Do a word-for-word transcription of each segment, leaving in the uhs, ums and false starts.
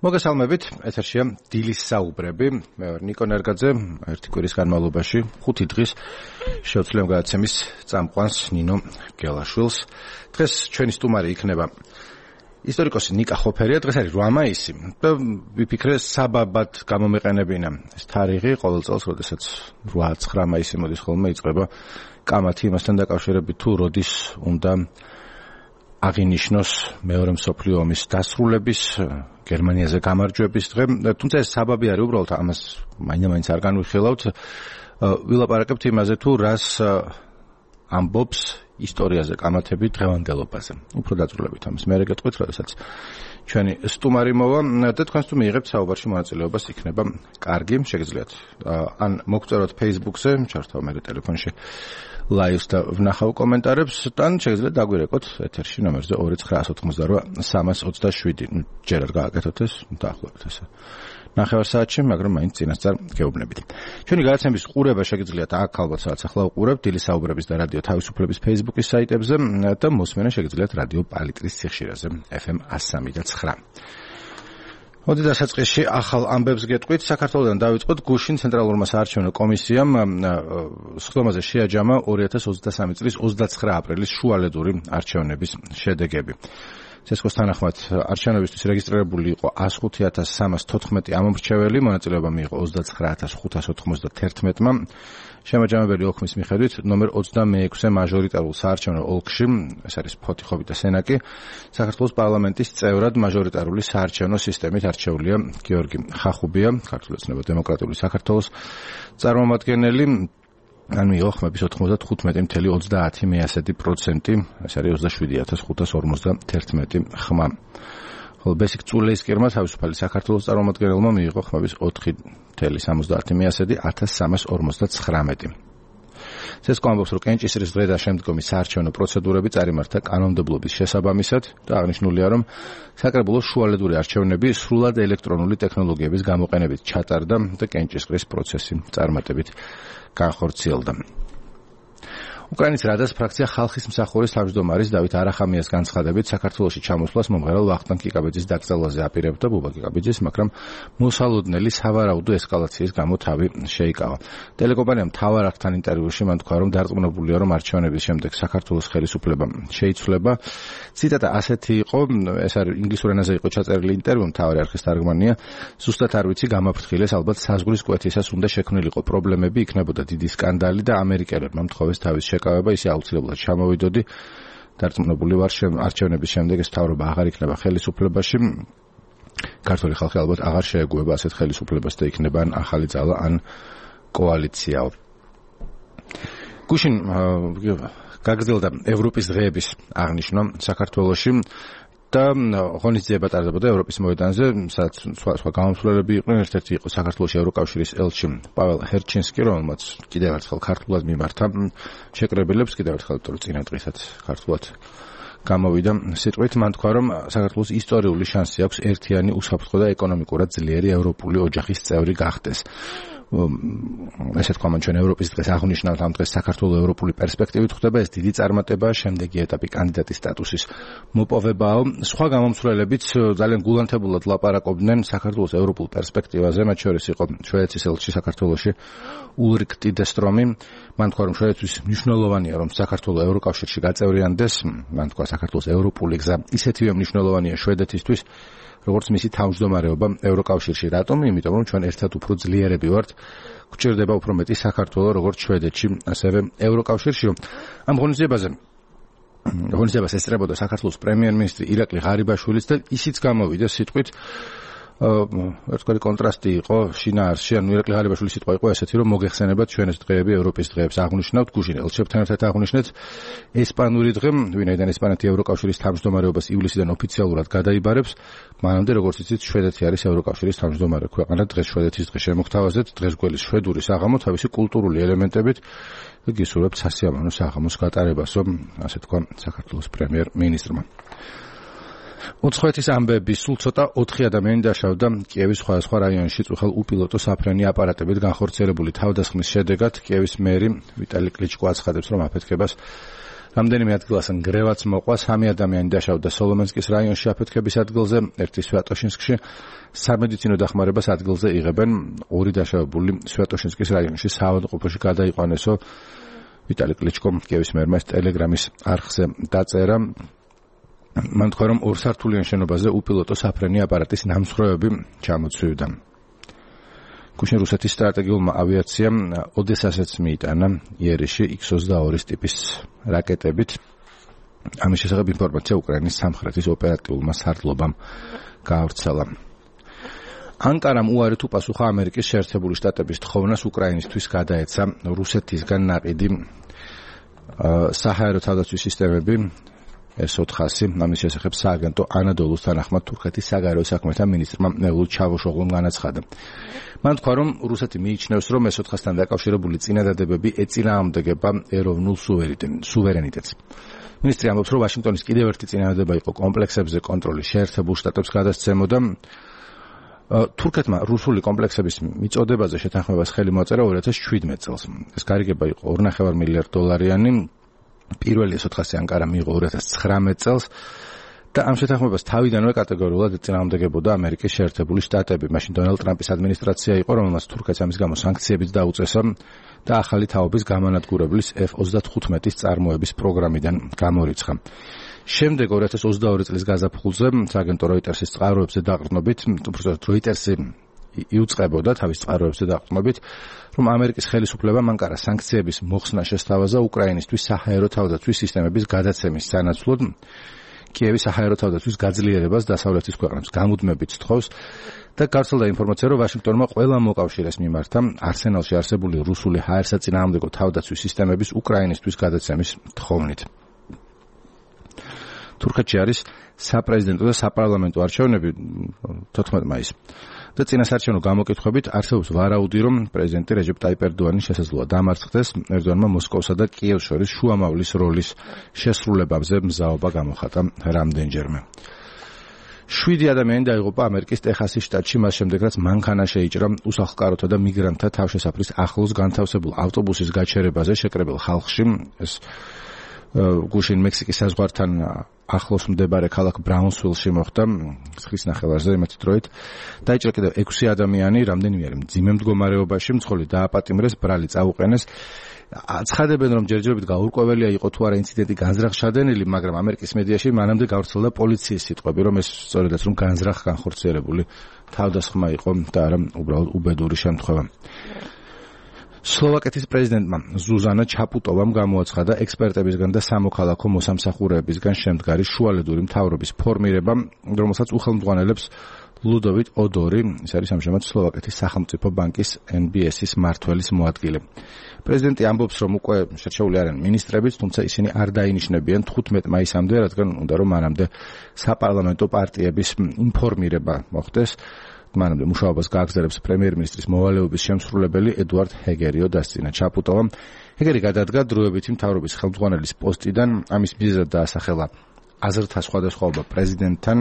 მოგესალმებით, ეთერშია დილის საუბრები. მე ვარ ნიკო ნერგაძე, ერთი კვირის განმავლობაში ხუთი დღის შეუცვლელ გადაცემის წამყვანს ნინო გელაშვილს. დღეს ჩვენი სტუმარი იქნება ისტორიკოსი ნიკა ხოფერია. დღეს არის რვა მაისი და ვიფიქრე საბაბად გამომეყენებინა ეს თარიღი ყოველ წელს, როდესაც რვა ცხრა მაისი მოდის ხოლმე, იწყება კამათი იმასთან დაკავშირებით თუ როდის უნდა აღინიშნოს მეორე მსოფლიო ომის დასრულების, გერმანიაზე გამარჯვების დღე. თუმცა ეს საბაბი არის უბრალოდ ამას მაინც არ განვიხილავთ. ვილაპარაკებთ იმაზე თუ რას ამბობს ისტორიაზე კამათები დღევანდელობაზე. უფრო დაწვრილებით ამას მე გეტყვით, როდესაც ჩვენი სტუმარი მოვა და თქვენს თუ მიიღებთ საუბარში მონაწილეობას, იქნება კარგი, შეგიძლიათ ან მოგწეროთ Facebook-ზე, ჩართავ მე ტელეფონში ლაივს და ვნახავ კომენტარებს, თან შეგიძლიათ დაგვირეკოთ ეთერში ნომერზე ორი ცხრა ოცდაოთხმოცდარვა სამას ოცდაშვიდი. ჯერ არ გააკეთოთ ეს, დაახლოებით ესე. ნახევარ საათში, მაგრამ მაინც წინასწარ გეუბნებით. ჩვენი გადაცემის ყურება შეგიძლიათ აქ ალბათ სადაც ახლა უყურებთ, დილის საუბრების და რადიო თავისუფლების Facebook-ის საიტებზე და მოსმენა შეგიძლიათ რადიო პალიტრის სიხშირეზე ეფ ემ one oh three point nine. მოდი დასაწყისში ახალ ამბებს გეტყვით. საქართველოდან დავიწყოთ. გუშინ ცენტრალურმა საარჩევნო კომისიამ სხდომაზე შეაჯამა ორი ათას ოცდასამი წლის ოცდაცხრა აპრილის შუალედური არჩევნების შედეგები. ცესკოს თანახმად არჩევნებისთვის რეგისტრირებული იყო ას ხუთი ათას სამას თოთხმეტი ამომრჩეველი, მონაწილეობა მიიღო ოცდაცხრა ათას ხუთას ოთხმოცდათერთმეტმა. შემაჯამებელი ოქმის მიხედვით ნომერ ოცდამეექვსე მაჟორიტარულ საარჩევნო ოლქში, ეს არის ფოთიხობი და სენაკი, საქართველოს პარლამენტის წევრად მაჟორიტარული საარჩევნო სისტემით არჩეულია გიორგი ხახუბია, ქართული ოცნება დემოკრატიული საქართველოს წარმომადგენელი. ან მიიღო ხმების ოთხმოცდათხუთმეტი целых ოცდაათი პროცენტი, ეს არის ოცდაშვიდი ათას ხუთას ორმოცდათერთმეტი ხმა. ხოლო ბესიკ წულეისკირმა თავისუფალი საქართველოს წარმომადგენელმა მიიღო ხმების ოთხი целых სამოცდაათი ათას სამას ორმოცდაცხრამეტი. ცესკო ამბობს, რომ კენჭისყრის დღე და შემდგომი საარჩევნო პროცედურები წარიმართა კანონმდებლობის შესაბამისად და აღნიშნულია, რომ საკრებულოს შუალედური არჩევნები სრულად ელექტრონული ტექნოლოგიების გამოყენებით ჩატარდა და კენჭისყრის პროცესი წარმატებით განხორციელდა. უკრაინის რადას ფრაქცია ხალხის მსახურის თავმჯდომარის დავით არახამიას განცხადებით საქართველოში ჩამოსვლას მომღერალ ვახტანგ კიკაბიძის დაკრძალვაზე აპირებდა ბუბა კიკაბიძის, მაგრამ მოსალოდნელი სავარაუდო ესკალაციის გამო თავი შეიკავა. ტელეკომპანიამ მთავარ აქთან ინტერვიუში მან თქვა, რომ დარწმუნებულია, რომ არჩევნების შემდეგ საქართველოს ხელისუფლება შეიცვლება. ციტატა ასეთი იყო, ეს არის ინგლისურ ენაზე იყო ჩაწერილი ინტერვიუ, მთავარი არხის თარგმანია. ზუსტად არ ვიცი, გამაფრთხილეს, ალბათ საზღვრის კვეთისას უნდა შექმნილიყო პრობლემები, იქნებოდა დიდი სკანდალი და ამერიკელებმა მთხოვეს თავის შეკავება, ისე აუცილებლად ჩამოვიდოდი. დარწმუნებული ვარ, არჩევნების შემდეგ ეს მთავრობა აღარ იქნება ხელისუფლებაში. ქართული ხალხი ალბათ აღარ შეეგუება ასეთ ხელისუფლებას და იქნება ან ახალი ძალა, ან კოალიციაო. გუშინ გაგრძელდა ევროპის დღეების აღნიშვნა საქართველოში და ღონისძიება ტარდებოდა ევროპის მოედანზე, სადაც სხვა სხვა გამომცვლელები იყვნენ. ერთ-ერთი იყო საქართველოს ევროკავშირის ელჩი პაվել ჰერჩინსკი, რომელმაც კიდევ ერთხელ ქართულად მიმართა შეკრებილებს, კიდევ ერთხელ თორე წინა დღესაც ქართულად გამოვიდა სიტყვით. მან თქვა, რომ საქართველოს ისტორიული შანსი აქვს ერთიანი, უსაფრთხო და ეკონომიკურად ძლიერი ევროპული ოჯახის წევრი გახდეს. ესე თქვა მან ჩვენ ევროპის დღეს აღნიშნავთ, ამ დღეს საქართველოს ევროპული პერსპექტივით ხვდება, ეს დიდი წარმატება, შემდეგი ეტაპი კანდიდატის სტატუსის მოპოვებაა. სხვა გამომცვლელებიც ძალიან გულანთებულად ლაპარაკობდნენ საქართველოს ევროპულ პერსპექტივაზე, მათ შორის იყო შვედეთის ელჩი საქართველოში ულრიკ ტიდესტრომი. მან თქვა, რომ შვედეთის მნიშვნელოვანია, რომ საქართველოს ევროკავშირში გაწევრიანდეს. მან თქვა, საქართველოს ევროპული გზა ისეთივე მნიშვნელოვანია შვედეთისთვის, როგორც მისი თავმჯდომარეობა ევროკავშირში. რატომ? იმიტომ რომ ჩვენ ერთად უფრო ძლიერები ვართ, გვჭირდება უფრო მეტი საქართველოს როგორც შვედეთში, ასევე ევროკავშირში. ამ ღონისძიებაზე ღონისძიებას ესწრებოდა საქართველოს პრემიერ-მინისტრი ირაკლი ღარიბაშვილიც და ისიც გამოვიდა სიტყვით, ერთგვარი კონტრასტი იყო შინაარსში. ანუ ირაკლი ღარიბაშვილის სიტყვა იყო ესეთი, რომ მოგეხსენებათ ჩვენ ეს დღეები ევროპის დღეებს აღნიშნავთ, გუშინ ელჩებთან ერთად აღნიშნეთ ესპანური დღე, ვინაიდან ესპანეთი ევროკავშირის თავმჯდომარეობას ივლისიდან ოფიციალურად გადაიბარებს. მანამდე, როგორც იცით, შვედეთი არის ევროკავშირის თავმჯდომარე ქვეყანა. დღეს შვედეთის დღე შემოგთავაზეთ, დღეს გველის შვედური საღამო თავისი კულტურული ელემენტებით და გისურვებთ სასიამოვნო საღამოს გატარებას, რომ ასე თქვა საქართველოს პრემიერ-მინისტრმა. უცხოეთის ამბები სულ ცოტა ოთხი ადამიანი დაშავდა კიევის სხვადასხვა რაიონში წუხელ უპილოტო საფრენი აპარატებით განხორციელებული თავდასხმის შედეგად. კიევის მერი ვიტალი კლიჩკო აცხადებს, რომ აფეთქებას რამდენიმე ადგილას ნგრევაც მოყვა, სამი ადამიანი დაშავდა სოლომენსკის რაიონში აფეთქების ადგილზე, ერთი სვიატოშინსკში. სამედიცინო დახმარებას ადგილზე იღებენ, ორი დაშავებული სვიატოშინსკის რაიონში საავადმყოფოში გადაიყვანესო. ვიტალი კლიჩკომ კიევის მერმა ტელეგრამის არხზე დაწერა. მან თქვა, რომ ორსართულიან შენობაზე უპილოტო საფრენი აპარატის ნამსხვრევები ჩამოცვივდა. გუშინ რუსეთის სტრატეგიულმა ავიაციამ ოდესასაც მიიტანა იერიში იქს ოცდაორი ტიპის რაკეტებით. ამის შესახებ ინფორმაცია უკრაინის სამხრეთის ოპერატიულმა სარდლობამ გაავრცელა. ანკარამ უარი თუ პასუხა ამერიკის შეერთებული შტატების თხოვნას უკრაინისთვის გადაეცა რუსეთისგან ნაყიდი საჰაერო თავდაცვის სისტემები ეს ოთხასი. ამის შესახებ სააგენტო ანადოლუს თანახმად თურქეთის საგარეო საქმეთა მინისტრმა მევლუდ ჩავოშოღლუმ განაცხადა. მან თქვა, რომ რუსეთი მიიჩნევს, რომ ეს ოთხასთან დაკავშირებული წინადადებები ეწინააღმდეგება ეროვნულ სუვერენიტეტს. მინისტრი ამბობს, რომ ვაშინგტონის კიდევ ერთი წინადადება იყო კომპლექსებზე კონტროლის შეერთებულ შტატებს გადასცემოდა. თურქეთმა რუსული კომპლექსების მიწოდებაზე შეთანხმებას ხელი მოაწერა ორი ათას შვიდმეტ წელს. ეს გარიგება იყო ორი კoma პέντε მილიარდ დოლარიანი. პირველი ეს ოთხასი ანკარა მიიღო ორი ათას ცხრამეტ წელს და ამ შეთანხმებას თავიდანვე კატეგორიულად ეწინააღმდეგებოდა ამერიკის შეერთებული შტატები. მაშინ დონალდ ტრამპის ადმინისტრაცია იყო, რომელმაც თურქეთს ამის გამო სანქციებიც დაუწესა და ახალი თაობის გამანადგურებლის ეფ ოცდათხუთმეტის წარმოების პროგრამიდან გამორიცხა. შემდეგ ორი ათას ოცდაორი წლის გაზაფხულზე სააგენტო როიტერსის წყაროებზე დაყრდნობით, უბრალოდ როიტერსი იუწყებოდა თავის წყაროებზე დაყრდნობით, რომ ამერიკის ხელისუფლებამ ანკარა სანქციების მოხსნა შესთავაზა უკრაინისთვის საჰაერო თავდაცვის სისტემების გადაცემის სანაცვლოდ. კიევი საჰაერო თავდაცვის გაძლიერებას დასავლეთის ქვეყნებს გამუდმებით სთხოვს და გავრცელდა ინფორმაცია, რომ ვაშინგტონმა ყველა მოკავშირეს მიმართა არსენალში არსებული რუსული ჰაერსაწინააღმდეგო თავდაცვის სისტემების უკრაინისთვის გადაცემის თხოვნით. თურქეთში არის საპრეზიდენტო და საპარლამენტო არჩევნები თოთხმეტ მაისს. და წინასარჩევნო გამოკითხვებით არსებობს ვარაუდი, რომ პრეზიდენტი რეჯეპ ტაიპ ერდოანი შესაძლოა დამარცხდეს. ერდოანმა მოსკოვსა და კიევს შორის შუამავლის როლის შესრულებაზე მზაობა გამოხატა რამდენჯერმე. შვიდი ადამიანი დაიღუპა ამერიკის ტეხასის შტატში, მას შემდეგ რაც მანქანა შეიჭრა უსახლკაროთა და მიგრანტთა თავშესაფრის ახლოს განთავსებულ ავტობუსის გაჩერებაზე შეკრებილ ხალხში. ეს გუშინ მექსიკის საზღვართან ახლოს მდებარე ქალაქ ბრაუნსვილში მოხდა ცხრის ნახევარზე იმათი დროით. დაიჭრა კიდევ ექვსი ადამიანი, რამდენიმე არის მძიმე მდგომარეობაში, მძღოლი დააპატიმრეს, ბრალი წაუყენეს. აცხადებენ, რომ ჯერჯერობით გაურკვეველია იყო თუ არა ინციდენტი განზრახ-შადენილი, მაგრამ ამერიკის მედიაში მანამდე გავრცელდა პოლიციის სიტყვები, რომ ეს სწორედაც რომ განზრახ განხორციელებული თავდასხმა იყო და არა უბრალოდ უბედური შემთხვევა. სლოვაკეთის პრეზიდენტმა ზუზანა ჩაპუტოვამ გამოაცხადა ექსპერტებისგან და სამოქალაქო მოსამსახურეებისგან შემდგარი შუალედური მთავრობის ფორმირება, რომელსაც უხელმძღვანელებს ლუდოვიტ ოდორი, ის არის ამჟამად სლოვაკეთის სახელმწიფო ბანკის ენ ბი ეს-ის მმართველის მოადგილე. პრეზიდენტი ამბობს, რომ უკვე შერჩეული არიან მინისტრებიც, თუმცა ისინი არ დაინიშნებიან თხუთმეტ მაისამდე, რადგან უნდა რომ მანამდე საპარლამენტო პარტიების ინფორმირება მოხდეს. მანამდე მუშაობას გააგრძელებს პრემიერ-მინისტრის მოვალეობის შემსრულებელი ედუარდ ჰეგერიო დასცინა ჩაპუტოვამ. ჰეგერი გადადგა დროებითი მთავრობის ხელმძღვანელის პოსტიდან, ამის მიზეზად დაასახელა აზრთა სხვადასხვაობა პრეზიდენტთან.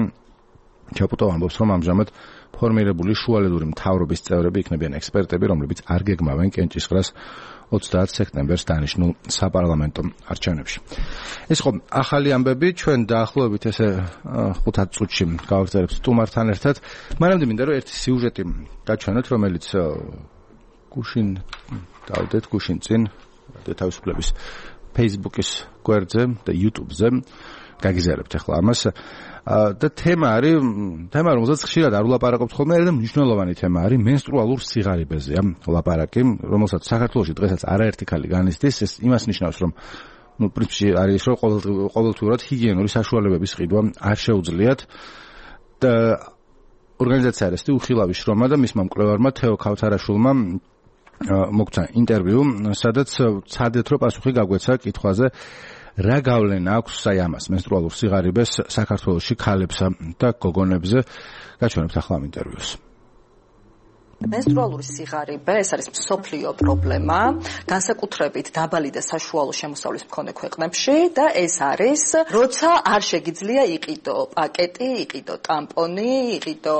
ჩაპუტოვი ამბობს, რომ ამჟამად ფორმირებული შუალედური მთავრობის წევრები იქნებიან ექსპერტები, რომლებიც არ გეგმავენ კენჭისყრას ოცდაათ სექტემბერს დანიშნულ საპარლამენტო არჩევნებში. ეს ხო ახალი ამბები, ჩვენ დაახლოებით ესე ხუთ წუთში გავაგრძელებთ სტუმართან ერთად. მანამდე მინდა რომ ერთი სიუჟეტი გაჩვენოთ, რომელიც გუშინ დავდეთ გუშინ წინ თავისუფლების Facebook-ის გვერდზე და YouTube-ზე გაგიზარებთ ახლა ამას. და თემა არის თემა რომელზეც ხშირად არ ვლაპარაკობთ ხოლმე და მნიშვნელოვანი თემა არის მენსტრუალურ სიღარიბეზეა ლაპარაკი, რომელსაც საქართველოში დღესაც არაერთი ქალი განიცდის. ეს იმას ნიშნავს, რომ ნუ პრინციპში არის რომ ყოველთვიურად ჰიგიენური საშუალებების ყიდვა არ შეუძლიათ და ორგანიზაცია რესტი უხილავი შრომა და მისმა მკვლევარმა თეო ქავთარაშვილმა მოგცა ინტერვიუ, სადაც ცადეთ რომ პასუხი გაგვეცა კითხვაზე რა გავლენა აქვს აი ამას მენსტრუალურ სიღარიბეს საქართველოში ქალებსა და გოგონებზე. გაჩვენებთ ახლა ამ ინტერვიუს. Menstrualuri სიღარიბე ეს არის მსოფლიო პრობლემა, განსაკუთრებით დაბალი და საშუალო შემოსავლის მქონე ქვეყნებში და ეს არის, როცა არ შეგიძლია იყიდო პაკეტი, იყიდო ტამპონი, იყიდო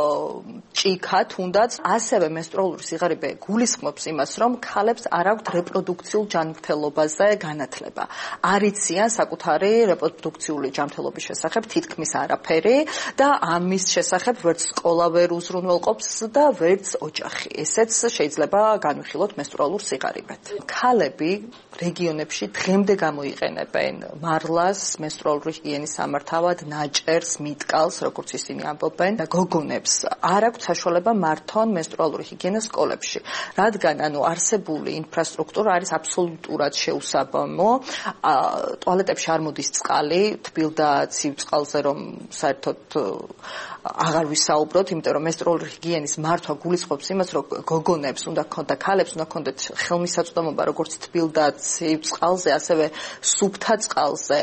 ჭიქა, თუნდაც ასევე menstrualuri სიღარიბე გულისხმობს იმას, რომ ქალებს არ აქვთ რეპროდუქციულ ჯანმრთელობაზე განათლება. არ იციან საკუთარი რეპროდუქციული ჯანმრთელობის შესახებ თითქმის არაფერი და ამის შესახებ ვერც სკოლა ვერ უზრუნველყოფს და ვერც ოჯახი. ესეც შეიძლება განვიხილოთ menstrualur სიღარიბეთ. ქალები რეგიონებში დღემდე გამოიყენებენ მარლას menstrualuri ჰიგიენის სამართავად, ნაჭერს, მიტკალს, როგორც ისინი ამბობენ და გოგონებს არ აქვთ საშუალება მართონ menstrualuri ჰიგიენას სკოლებში, რადგან ანუ არსებული ინფრასტრუქტურა არის აბსოლუტურად შეუსაბამო. ტუალეტებში არ მოდის წყალი, თბილ და ცივ წყალზე რომ საერთოდ აღარ ვისაუბროთ, იმიტომ რომ menstrualuri ჰიგიენის მართვა გულისხმობს იმას, რომ გოგონებს უნდა ქონდა, ქალებს უნდა ქონდეთ ხელმისაწვდომობა როგორც თბილ და ცივ წყალზე, ასევე სუფთა წყალზე,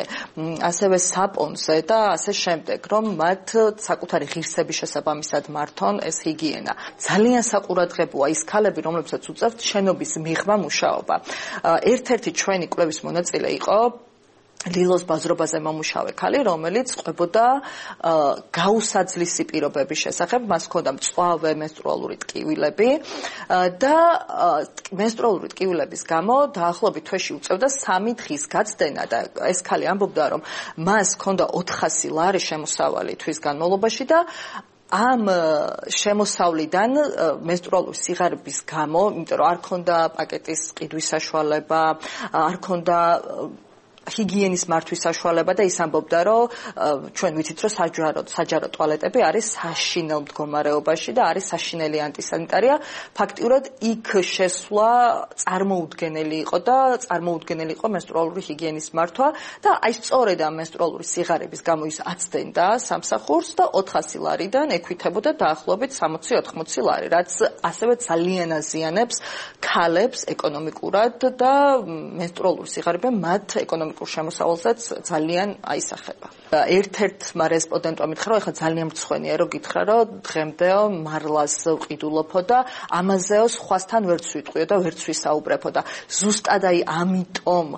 ასევე საპონზე და ასე შემდეგ, რომ მათ საკუთარი ღირსების შესაბამისად მართონ ეს ჰიგიენა. ძალიან საყურადღებოა ის ქალები, რომლებსაც უწევთ შენობის მიღმა მუშაობა. ერთ-ერთი ჩვენი კვლევის მონაწილე იყო ლილოს ბაზრობაზე მომუშავე ქალი, რომელიც ყვებოდა გაუსაძლისი პირობების შესახებ, მას ჰქონდა მწვავე menstrualuri ტკივილები და menstrualuri ტკივილების გამო დაახლოებით თვეში უწევდა სამი დღის გაცდენა და ეს ქალი ამბობდა, რომ მას ჰქონდა ოთხასი ლარი შემოსავალი თვის განმავლობაში და ამ შემოსავლიდან menstrualuri სიღარიბის გამო, იმიტომ რომ არ ჰქონდა პაკეტის ყიდვის საშუალება, არ ჰქონდა ჰიგიენის მართვის საშუალება და ის ამბობდა, რომ ჩვენ ვიცით, რომ საჯარო საჯარო ტუალეტები არის საშინელ მდგომარეობაში და არის საშინელი ანტისანიტარია. ფაქტიურად იქ შესვლა წარმოუდგენელი იყო და წარმოუდგენელი იყო menstrualuri ჰიგიენის მართვა და აი სწორედ ამ menstrualuri სიღარიბის გამო ის აცდენდა სამსახურს და ოთხასი ლარიდან ექვითებოდა დაახლოებით სამოცი ოთხმოცი ლარი, რაც ასევე ძალიან აზიანებს ქალებს ეკონომიკურად და menstrualuri სიღარიბე მათ ეკონომიკურად შემოსავალსაც ძალიან აისახება. ერთ-ერთმა რესპონდენტმა მითხრა, რომ ეხლა ძალიან მრცხვენია, რომ გითხრა, რომ დღემდე მარლას ვყიდულობო და ამაზეო სხვასთან ვერც ვიტყვიო და ვერც ვისაუბრებო და ზუსტად აი ამიტომ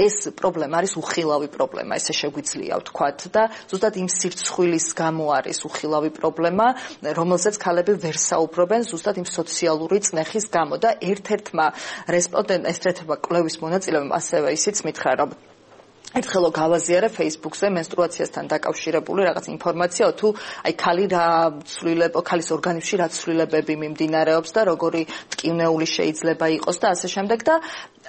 ეს პრობლემა არის უხილავი პრობლემა, ესე შეგვიძლია ვთქვათ და ზუსტად იმ სირცხვილის გამო არის უხილავი პრობლემა, რომელზეც ქალები ვერ საუბრობენ, ზუსტად იმ სოციალური წნეხის გამო და ერთ-ერთმა რესპონდენტ ერთ-ერთმა კვლევის მონაწილემ ასევე ისიც მითხრა, რომ ერთხელ გავაზიარე Facebook-ზე menstruatsiasთან დაკავშირებული რაღაც ინფორმაცია, თუ აი ქალი რა ცვლილებო, ქალის ორგანიზმში რა ცვლილებები მიმდინარეობს და როგორი ტკივნეული შეიძლება იყოს და ასე შემდეგ და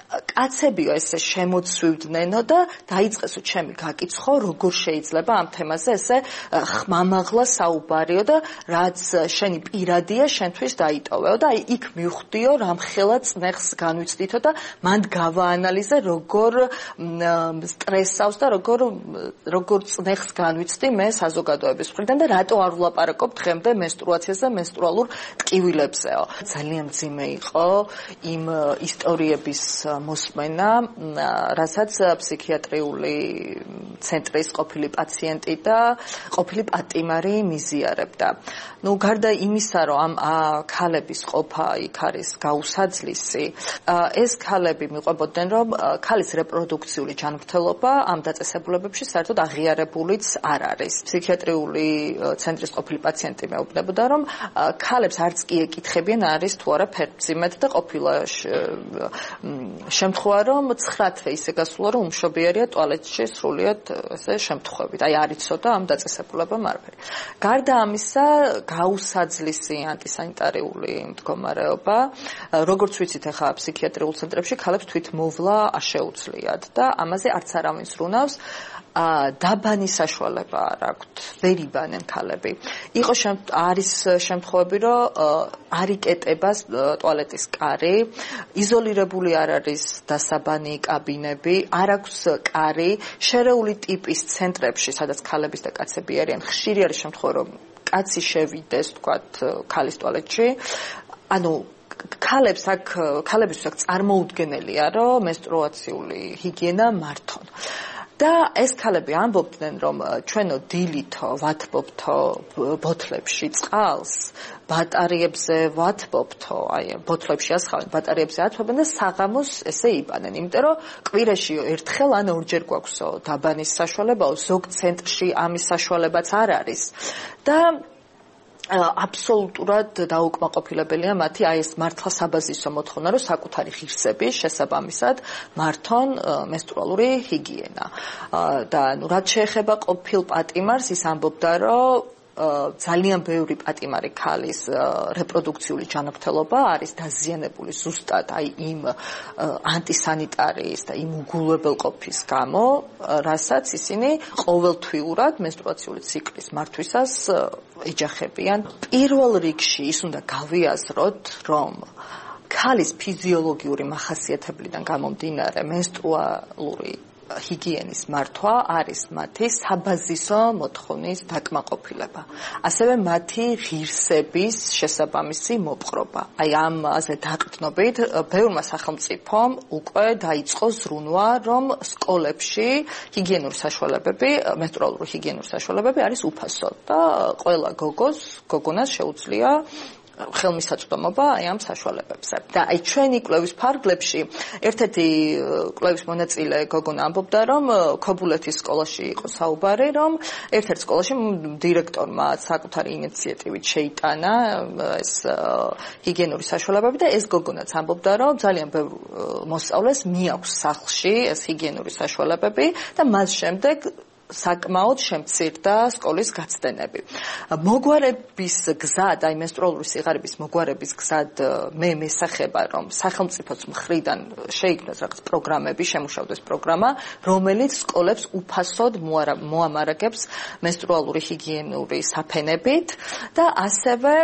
კაცებიო ესე შემოცვივდნენო და დაიწყესო ჩემი გაკითხო, როგორ შეიძლება ამ თემაზე ესე ხმამაღლა საუბარიო და რაც შენი პირადია, შენთვის დაიტოვეო და აი იქ მივხვდიო, რამხელა წნეხს განვიცდითო და მანდ გავაანალიზე, როგორ სტრესავს და როგორ როგორ წნეხს განვიცდი მე საზოგადოების მხრიდან და რატო არ ვლაპარაკობ დღემდე menstruatsiაზე, menstrualur ტკივილებზეო. ძალიან მძიმე იყო იმ ისტორიების მოსმენა, რასაც ფსიქიატრიული ცენტრის ყოფილი პაციენტი და ყოფილი პატიმარი მიზიარებდა. ნუ გარდა იმისა, რომ ამ ქალების ყოფა იქ არის გაუსაძლისი, ეს ქალები მიყვებოდნენ, რომ ქალის რეპროდუქციული ჯანმრთელობა ამ დაწესებულებებში საერთოდ აღიარებულიც არ არის. ფსიქიატრიული ცენტრის ყოფილი პაციენტი მეუბნებოდა, რომ ქალებს არც კი ეკითხებიან არის თუ არა ფერმძიმედ და ყოფილა შემთხვევა, რომ ცხრა თვე ისე გასულა, რომ უმშობიარია ტუალეტში სრულიად ესე შემთხვევით. აი არ იცოდა ამ დაწესებულებამ არაფერი. გარდა ამისა, გაუსაძლისი ანტისანიტარიული მდგომარეობა, როგორც ვიცით, ახლა ფსიქიატრიულ ცენტრებში ქალებს თვითმოვლა არ შეუძლიათ და ამაზე არც არავინ ზრუნავს. დაბანი საშუალება არ აქვთ, ვერ იბანენ ქალები. იყო არის შემთხვევები, რომ არ იკეტება ტუალეტის კარი, იზოლირებული არ არის დასაბანი კაბინები, არ აქვს კარი, შერეული ტიპის ცენტრებში, სადაც ქალების და კაცები არიან, ხშირი არის შემთხვევა, რომ კაცი შევიდეს, თქვათ, ქალის ტუალეტში. ანუ ქალებს აქ ქალებისთვის აქ წარმოუდგენელია, რომ menstruatsიული ჰიგიენა მართონ. და ეს ქალები ამბობდნენ, რომ ჩვენო დილითო ვათბობთო ბოთლებში წყალს, ბატარეებზე ვათბობთო, აი ბოთლებში ასხავენ, ბატარეებზე ათბობენ და საღამოს ესე იბანენ, იმიტომ რომ კვირაში ერთხელ ან ორჯერ გვაქვს დაბანის საშუალებაო, ზოგ ცენტრში ამის საშუალებაც არ არის. და აბსოლუტურად დაუკმაყოფილებელია მათი აი ეს მართლა საბაზისო მოთხოვნა, რომ საკუთარი ღირსების შესაბამისად მართონ მენსტრუალური ჰიგიენა. და ნუ რაც შეეხება ყოფილ პატიმარს, ის ამბობდა, რომ ძალიან ბევრი პატიმარი ქალის რეპროდუქციული ჯანმრთელობა არის დაზიანებული ზუსტად აი იმ ანტისანიტარიის და იმ უგულებელყოფის გამო, რასაც ისინი ყოველთვიურად მენსტრუაციული ციკლის მართვისას ეჯახებიან. პირველ რიგში ის უნდა გავიაზროთ, რომ ქალის ფიზიოლოგიური მახასიათებლიდან გამომდინარე მენსტრუალური ჰიგიენის მართვა არის მათი საბაზისო მოთხოვნის დაკმაყოფილება. ასევე მათი ღირსების შესაბამისი მოპყრობა. აი ამაზე დაყრდნობით ბევრმა სახელმწიფომ უკვე დაიწყო ზრუნვა, რომ სკოლებში ჰიგიენური საშუალებები, მენსტრუალური ჰიგიენური საშუალებები არის უფასო და ყველა გოგოს, გოგონას შეუძლია ხელმისაწვდომობა აი ამ საშუალებებზე. და აი ჩვენი კვლევის ფარგლებში ერთ-ერთი კვლევის მონაწილე გოგონა ამბობდა, რომ ქობულეთის სკოლაში იყო საუბარი, რომ ერთ-ერთ სკოლაში დირექტორმა საკუთარი ინიციატივით შეიტანა ეს ჰიგიენური საშუალებები და ეს გოგონაც ამბობდა, რომ ძალიან ბევრ მოსწავლეს მიაქვს სახლში ეს ჰიგიენური საშუალებები და მას შემდეგ საკმაოდ შემცირდა სკოლის გაცდენები. მოგვარების გზად, აი მენსტრუალური სიღარიბის მოგვარების გზად მე მესახება, რომ სახელმწიფოს მხრიდან შეიქმნას რაღაც პროგრამები, შემუშავდეს პროგრამა, რომელიც სკოლებს უფასოდ მოამარაგებს მენსტრუალური ჰიგიენური საფენებით და ასევე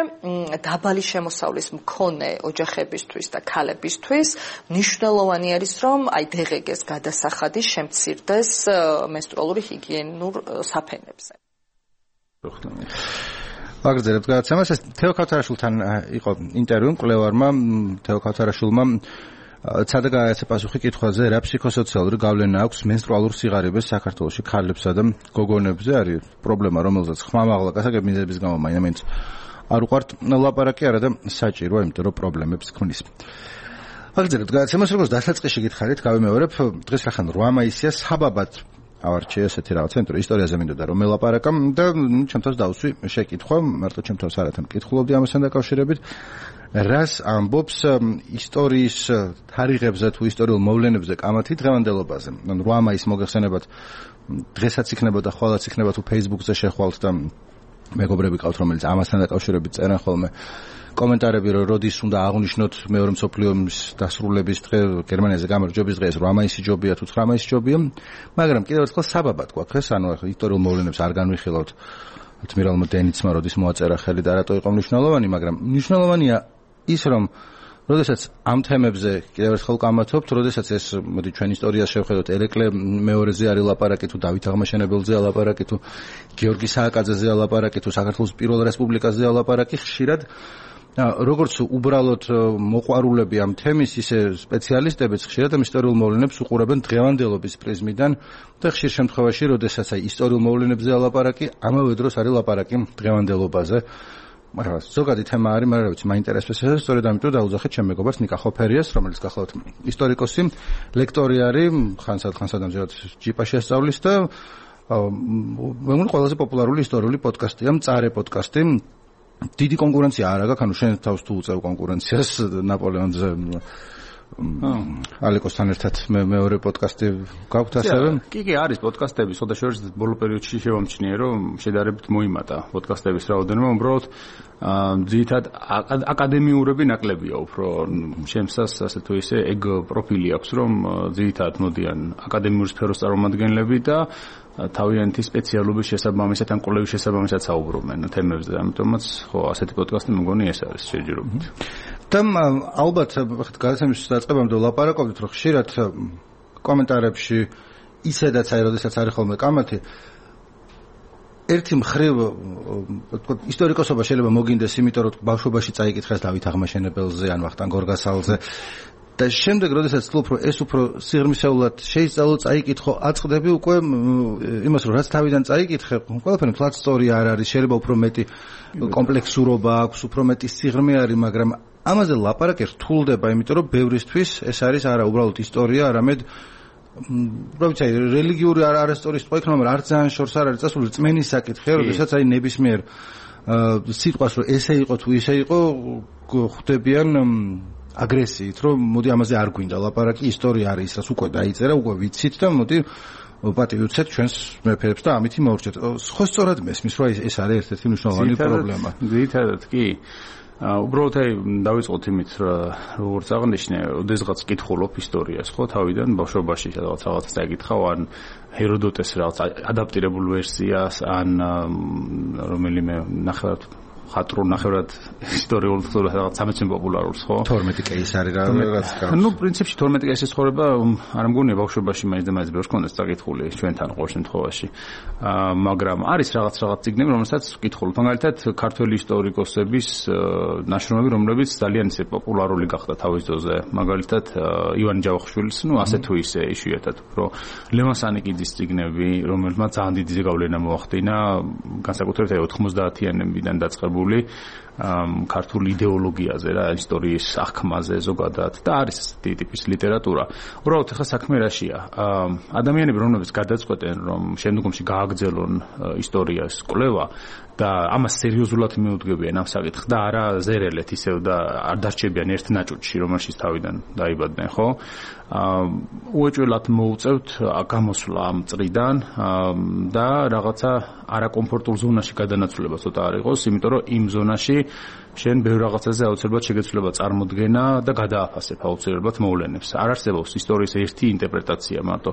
დაბალი შემოსავლის მქონე ოჯახებისთვის და ქალებისთვის მნიშვნელოვანი არის, რომ აი დღგ-ს გადასახადი შემცირდეს მენსტრუალური ჰიგიენური საფენებზე. ვაგრძელებთ გადაცემას. ეს თეო ქავთარაშვილთან იყო ინტერვიუ მკვლევარმა თეო ქავთარაშვილმა ცადა გააცე პასუხი კითხვაზე, რა ფსიქოსოციალური გავლენა აქვს მენსტრუალურ სიღარიბეს საქართველოში ქალებსა და გოგონებზე. არის პრობლემა, რომელზეც ხმამაღლა გასაგებ მიზეზების გამო მაინც არ უყვართ ლაპარაკი, არა და საჭიროა, იმიტომ რომ პრობლემებს ქმნის. ვაგრძელებთ გადაცემას, როგორც დასაწყისში გითხარით, გავიმეორებ, დღეს რახან რვა მაისია საბაბად ავარჩიე ესეთი რაღაც ცენტრი ისტორიაზე მინდოდა რომ მელაპარაკამ და ჩემთვის დავსვი შეკითხვა, მარტო ჩემთვის არათან მკითხულობდი ამასთან დაკავშირებით, რას ამბობს ისტორიის თარიღებზე თუ ისტორიულ მოვლენებზე კამათი დღევანდელობაზე. ანუ რვა მაისს მოგეხსენებათ, დღესაც იქნებოდა, ხვალაც იქნება თუ Facebook-ზე შეხვალთ და მეგობრები ყავთ, რომელიც ამასთან დაკავშირებით წერენ ხოლმე კომენტარები, რომ როდის უნდა აღნიშნოთ მეორე მსოფლიო ომის დასრულების დღე, გერმანიაზე გამარჯვების დღე, რვა მაისი ჯობია თუ ცხრა მაისი ჯობია, მაგრამ კიდევ ერთხელ საბაბად გვაქვს ეს, ანუ ახლა ისტორიულ მოვლენებს არ განვიხილავთ. ადმირალმა დენიცმა როდის მოაწერა ხელი და რატო იყო მნიშვნელოვანი, მაგრამ მნიშვნელოვანია ის, რომ როდესაც ამ თემებზე კიდევ ერთხელ კამათობთ, როდესაც ეს მოდი ჩვენ ისტორიას შევხედოთ, ერეკლე მეორეზე არის ლაპარაკი თუ დავით აღმაშენებელზეა ლაპარაკი თუ გიორგი სააკაძეზეა ლაპარაკი თუ საქართველოს პირველ რესპუბლიკაზეა ლაპარაკი, ხშირად როგორც უბრალოდ მოყვარულები ამ თემის, ისე სპეციალისტებიც ხშირად ამ ისტორიულ მოვლენებს უყურებენ დღევანდელობის პრიზმიდან და ხშირ შემთხვევაში, როდესაც აი ისტორიულ მოვლენებზეა ლაპარაკი, ამავე დროს არის ლაპარაკი დღევანდელობაზე. მაგრამ ზოგადი თემა არის, მაგრამ რა ვიცი, მაინტერესებს ეს, სწორედ ამიტომ დაუძახეთ ჩემ მეგობარს ნიკა ხოფერიას, რომელიც გახლავთ ისტორიკოსი, ლექტორი არის, ხანსად ხანსად ამჟამად ჯიპაში ასწავლის და მე მგონი ყველაზე პოპულარული ისტორიული პოდკასტია, მწარე პოდკასტი. დიდი კონკურენცია არ აქვს, ანუ შენ თავს თუ უწევ კონკურენციას ნაპოლეონზე ალეკოსთან ერთად მე მეორე პოდკასტი გაქვთ ასევე? კი, კი, არის პოდკასტები, სოდა შორის ბოლო პერიოდში შევამჩნიე, რომ შედარებით მოიმატა პოდკასტების რაოდენობა, უბრალოდ ძირითადად აკადემიურები ნაკლებია უფრო, შემსას ასე თუ ისე ეგ პროფილი აქვს, რომ ძირითადად მოდიან აკადემიურ სფეროს წარმომადგენლები და თავიანთი სპეციალობის შესაბამისად ან კვლევის შესაბამისად საუბრობენ თემებზე, ამიტომაც ხო ასეთი პოდკასტი მგონი ეს არის შეჯიბრობით. და ალბათ გადაცემის დაწყებამდე ვლაპარაკობთ, რომ ხშირად კომენტარებში ისედაც აი როდესაც არის ხოლმე კამათი, ერთი მხრივ ისტორიკოსობა შეიძლება მოგინდეს, იმიტომ რომ ბავშვობაში წაიკითხეს დავით აღმაშენებელზე ან ვახტანგ გორგასალზე და შემდეგ როდესაც თვლობ რომ ეს უფრო სიღრმისეულად შეისწავლო წაიკითხო აწყდები უკვე იმას რომ რაც თავიდან წაიკითხე ყველაფერი ფლატ სტორი არ არის შეიძლება უფრო მეტი კომპლექსურობა აქვს უფრო მეტი სიღრმე არის მაგრამ ამაზე ლაპარაკი რთულდება იმიტომ რომ ბევრისთვის ეს არის არა უბრალოდ ისტორია არამედ რა ვიცი რელიგიური არასტორის ტყვა იქნება მაგრამ არ ძალიან შორს არ არის წასული რწმენის საკითხია როდესაც აი ნებისმიერ სიტყვას რომ ესე იყო თუ ისე იყო ხვდებიან აგრესიით რომ მოდი ამაზე არ გვინდა ლაპარაკი ისტორია არის ისაც უკვე დაიწერა უკვე ვიცით და მოდი პატივი უცეთ ჩვენს მეფეებს და ამითი მოვრჩეთ ხო სწორად მესმის რომ ეს არის ერთ-ერთი მნიშვნელოვანი პრობლემა ძირითადად კი უბრალოდ აი დავიწყოთ იმით როგორც აღნიშნე ოდესღაც კითხულობ ისტორიას ხო თავიდან ბავშვობაში რაღაც რაღაცას წაიკითხავ ან ჰეროდოტეს რაღაც ადაპტირებულ ვერსიას ან რომელიმე ნახევარად ხატრულ ნახევრად ისტორიულ რაღაც სამეცნიერო პოპულარულს ხო თორმეტი კეისარი რაღაც გავს ნუ პრინციპში თორმეტი კეისრის ცხოვრება არ მგონია ბავშვობაში მაინც და მაინც ბევრს კონდეს წაკითხული ჩვენთან ყოველ შემთხვევაში მაგრამ არის რაღაც რაღაც ციგნები რომელსაც ვკითხულობ მაგალითად ქართველი ისტორიკოსების ნაშრომები რომლებიც ძალიან ისე პოპულარული გახდა თავის ძოზე მაგალითად ივანე ჯავახიშვილის ნუ ასე თუ ისე იშვიათად რომ ლევან სანიკიძის ციგნები რომელმაც ძალიან დიდი ზეგავლენა მოახდინა განსაკუთრებით აი ოთხმოცდაათიანებიდან დაწყებული ქართული იდეოლოგიაზე რა ისტორიის აღქმაზე ზოგადად და არის ესეთი ტიპის ლიტერატურა. უბრალოდ ახლა საქმე რაშია? ადამიანები რომლებიც გადაწყვეტენ რომ შემდგომში გააგრძელონ ისტორიას კვლევა და ამას სერიოზულად მიუდგებიან ამ საკითხს და არა ზერელეთ ისევ და არ დარჩებიან ერთ ნაჭუჭში რომელშიც თავიდან დაიბადნენ ხო? უეჭველად მოუწევთ გამოსვლა ამ წრიდან და რაღაცა არაკომფორტულ ზონაში გადანაცვლება ცოტა არ იყოს, იმიტომ რომ იმ ზონაში შენ ბევრ რაღაცაზე აუცილებლად შეგეცვლება წარმოდგენა და გადააფასებ აუცილებლად მოვლენებს. არ არსებობს ისტორიის ერთი ინტერპრეტაცია მარტო.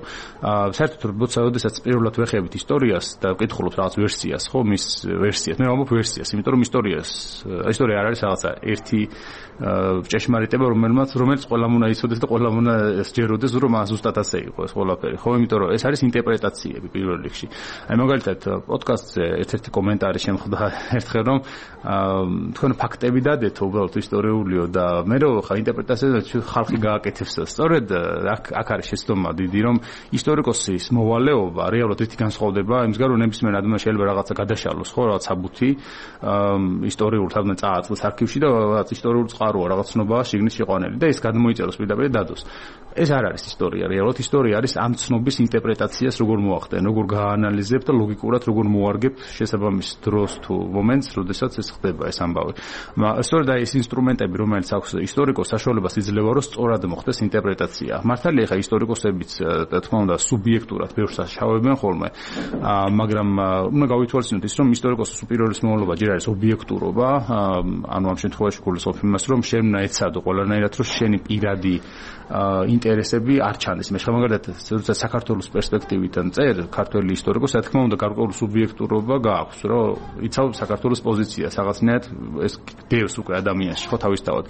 საერთოდ როდესაც პირველად ვეხებით ისტორიას და ვკითხულობთ რაღაც ვერსიას, ხო, მის ვერსიას. მე ვამბობ ვერსიას, იმიტომ რომ ისტორიას ისტორია არ არის რაღაცა ერთი ჭეშმარიტება, რომელმაც რომელიც ყველამ უნდა იცოდეს და ყველამ უნდა სჯეროდეს, რომ ზუსტად ასე იყო ეს ყველაფერი, ხო, იმიტომ რომ ეს არის ინტერპრეტაციები პირველ რიგში. აი მაგალითად პოდკასტზე ერთ-ერთი კომენტარი შემხვდა ერთხელ რომ თქვენ ფაქტები დადეთ უბრალოდ ისტორიულიო და მე რო ხა ინტერპრეტაციაზე ხალხი გააკეთებს სწორედ აქ აქ არის შეცდომა დიდი რომ ისტორიკოსის მოვალეობა რეალურად ერთი განსხვავდება იმისგან რომ ნებისმიერ ადამიანს შეიძლება რაღაცა გადაშალოს ხო რაღაც საბუთი ისტორიულ თავს წააწყდეს არქივში და რაღაც ისტორიულ წყაროა რაღაც ცნობაა შიგნით შეყვანილი და ეს გადმოიწეროს პირდაპირ დადოს ეს არ არის ისტორია რეალურად ისტორია არის ამ ცნობის ინტერპრეტაციას როგორ მოახდენ როგორ გაანალიზებ და ლოგიკურად როგორ მოარგებ შესაბამის დროს თუ მომენტს როდესაც ეს ხდება ეს ამბავი სწორედ აი ეს ინსტრუმენტები რომელიც აქვს ისტორიკოს საშუალებას იძლევა რომ სწორად მოხდეს ინტერპრეტაცია მართალია ხა ისტორიკოსებიც რა თქმა უნდა სუბიექტურად ბევრს შავებენ ხოლმე მაგრამ უნდა გავითვალისწინოთ ის რომ ისტორიკოსის უპირველეს მოვალეობა ჯერ არის ობიექტურობა ანუ ამ შემთხვევაში გულისხმობ იმას რომ შენ უნდა ეცადო ყველანაირად რომ შენი პირადი ინტერესები არ ჩანდეს მე მაგალითად როცა საქართველოს პერსპექტივიდან წერ ქართველი ისტორიკოსი რა თქმა უნდა გარკვეული სუბიექტურობა გააქვს რომ იცავ საქართველოს პოზიციას რაღაცნაირად ეს დევს უკვე ადამიანში ხო თავისთავად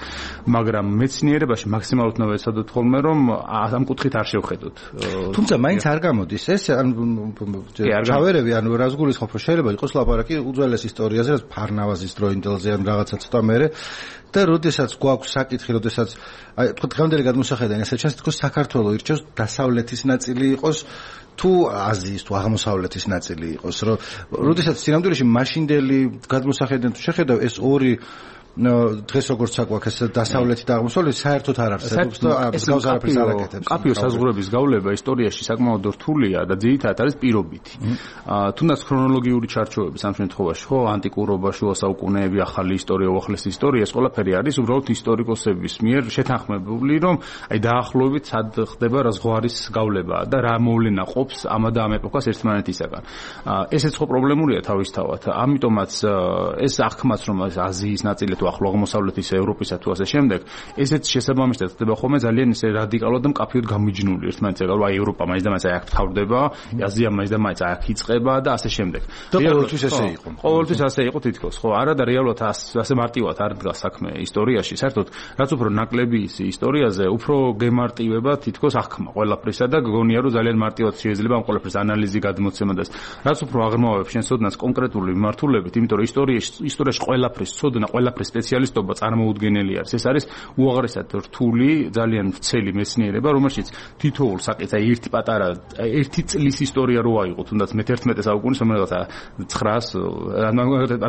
მაგრამ მეცნიერებაში მაქსიმალურად უნდა ეცადოთ ხოლმე რომ ამ კუთხით არ შევხედოთ თუმცა მაინც არ გამოდის ეს ან ჩავერევი ანუ რას გულისხმობ რომ შეიძლება იყოს ლაპარაკი უძველეს ისტორიაზე ფარნავაზის დროინდელზე ან რაღაცა ცოტა მერე და როდესაც გვაქვს საკითხი როდესაც აი თქო დღევანდელი გადმოსახედიდან ესე ჩანს თქო საქართველოს ირჩევს დასავლეთის ნაწილი იყოს თუ აზიის თუ აღმოსავლეთის ნაწილი იყოს რომ როდესაც სინამდვილეში მაშინდელი გადმოსახედიდან თუ შეხედავ ეს ორი დღეს როგორც საკვაქ ეს დასავლეთი და აღმოსავლეთი საერთოდ არ არსებობს და ეს გავს არაფერს არ აკეთებს. კაფიო საზღვრების გავლება ისტორიაში საკმაოდ რთულია და ძირითადად არის პირობითი. თუნდაც ქრონოლოგიური ჩარჩოების ამ შემთხვევაში ხო ანტიკურობა, შუა საუკუნეები, ახალი ისტორია, უახლესი ისტორია ეს ყველაფერი არის უბრალოდ ისტორიკოსების მიერ შეთანხმებული რომ აი დაახლოებით სად ხდება რა ზღვარის გავლება და რა მოვლენა ყოფს ამ და ამ ეპოქას ერთმანეთისაგან. ესეც ხო პრობლემურია თავისთავად. ამიტომაც ეს აღქმაც რომ აზიის ნაწილი ახლა აღმოსავლეთის ევროპისა თუ ასე შემდეგ ესეც შესაბამისად ხდება ხოლმე ძალიან ისე რადიკალურად და მკაფიოდ გამიჯნული ერთმანეთსაგან აი ევროპა მაინც და მაინც აი აქ თავდება აზია მაინც და მაინც აი აქ იწყება და ასე შემდეგ და ყოველთვის ესე იყო ყოველთვის ასე იყო თითქოს ხო არა და რეალურად ასე მარტივად არ დგას საქმე ისტორიაში საერთოდ რაც უფრო ნაკლები ის ისტორიაზე უფრო გემარტივება თითქოს აღქმა ყველაფრისა და გგონია რომ ძალიან მარტივად შეიძლება ამ ყველაფრის ანალიზი გადმოცემა და რაც უფრო აღრმავებ შენ ცოდნას კონკრეტული მიმართულებით იმიტომ რომ ისტორიაში ისტორიაში ყველაფრის ცოდნა ყველაფრის სპეციალისტობა წარმოუდგენელი არის. ეს არის უაღრესად რთული, ძალიან ვრცელი მეცნიერება, რომელშიც თითოეულ საკითხს აი ერთი პატარა ერთი წლის ისტორია რო აიღო, თუნდაც მეთერთმეტე საუკუნის რომელიღაცა ცხრაას ანუ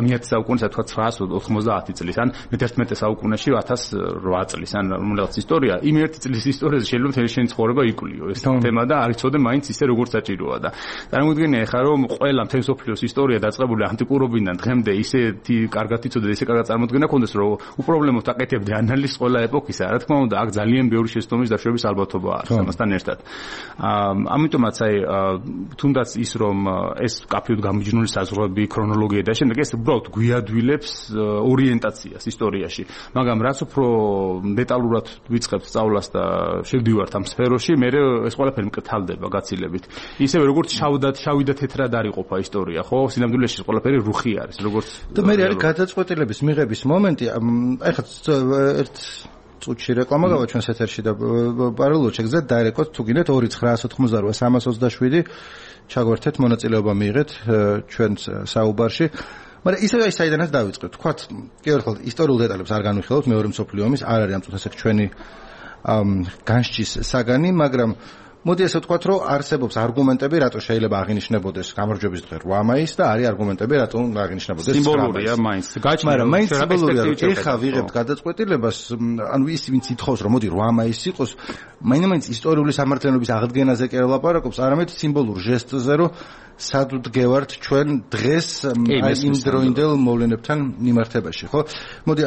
მეათე საუკუნის თქვა ცხრაას ოთხმოცდაათი წლის ან მეთერთმეტე საუკუნეში ათას რვა წლის ან რომელიღაც ისტორია, იმ ერთი წლის ისტორიაზე შეიძლება მთელი შენი ცხოვრება იკვლიო ეს თემა და არ იცოდე მაინც ისე როგორც საჭიროა და წარმოიდგინე ხა რომ ყველა მთელი სოფლიოს ისტორია დაწყებული ანტიკურობიდან დღემდე ისეთი კარგად იცოდე და ისე კარგად წარმოდგენა ქონდეს რომ უპრობლემოდ აკეთებდე ანალიზს ყველა ეპოქისა. რა თქმა უნდა, აქ ძალიან ბევრი შეცდომის დაშვების ალბათობა არის ამასთან ერთად. ამიტომაც აი თუნდაც ის რომ ეს კაფეოდ გამიჯნული საზღვრები, ქრონოლოგია და შემდეგ ეს უბრალოდ გვიადვილებს ორიენტაციას ისტორიაში. მაგრამ რაც უფრო დეტალურად ვიწყებთ სწავლას და შევდივართ ამ სფეროში, მე ეს ყველაფერი მკრთალდება გაცილებით. ისევე როგორც შავდა შავი და თეთრად არ იყოფა ისტორია, ხო? სინამდვილეში ყველაფერი რუხი არის, როგორც და მე არის გადაწყვეტილების მიღების მომენტი. აი ხა ერთ წუთში რეკლამა გავა ჩვენს ეთერში და პარალელურად შეგიძლიათ დაერეკოთ თუ გინდათ ორი ცხრაას ოთხმოცდარვა სამას ოცდაშვიდი ჩაგვერთეთ მონაწილეობა მიიღეთ ჩვენს საუბარში. მაგრამ ისე აი საიდანაც დავიწყეთ. თქვათ კი ერთხელ ისტორიულ დეტალებს არ განვიხილავთ, მეორე მსოფლიო ომის არ არის ამ წუთას ეგ ჩვენი განსჯის საგანი, მაგრამ მოდი ასე ვთქვათ, რომ არსებობს არგუმენტები, რატო შეიძლება აღინიშნებოდეს გამარჯვების დღე რვა მაისი და არის არგუმენტები, რატო უნდა აღინიშნებოდეს სიმბოლურია მაინც. გაჩნია, მაგრამ მაინც სიმბოლურია, რომ ეხა ვიღებთ გადაწყვეტილებას, ანუ ის ვინც ითხოვს, რომ მოდი რვა მაისი იყოს, მაინც ისტორიული სამართლიანობის აღდგენაზე კი არ ლაპარაკობს, არამედ სიმბოლურ ჟესტზე, რომ სად ვდგევართ ჩვენ დღეს აი იმ დროინდელ მოვლენებთან მიმართებაში, ხო? მოდი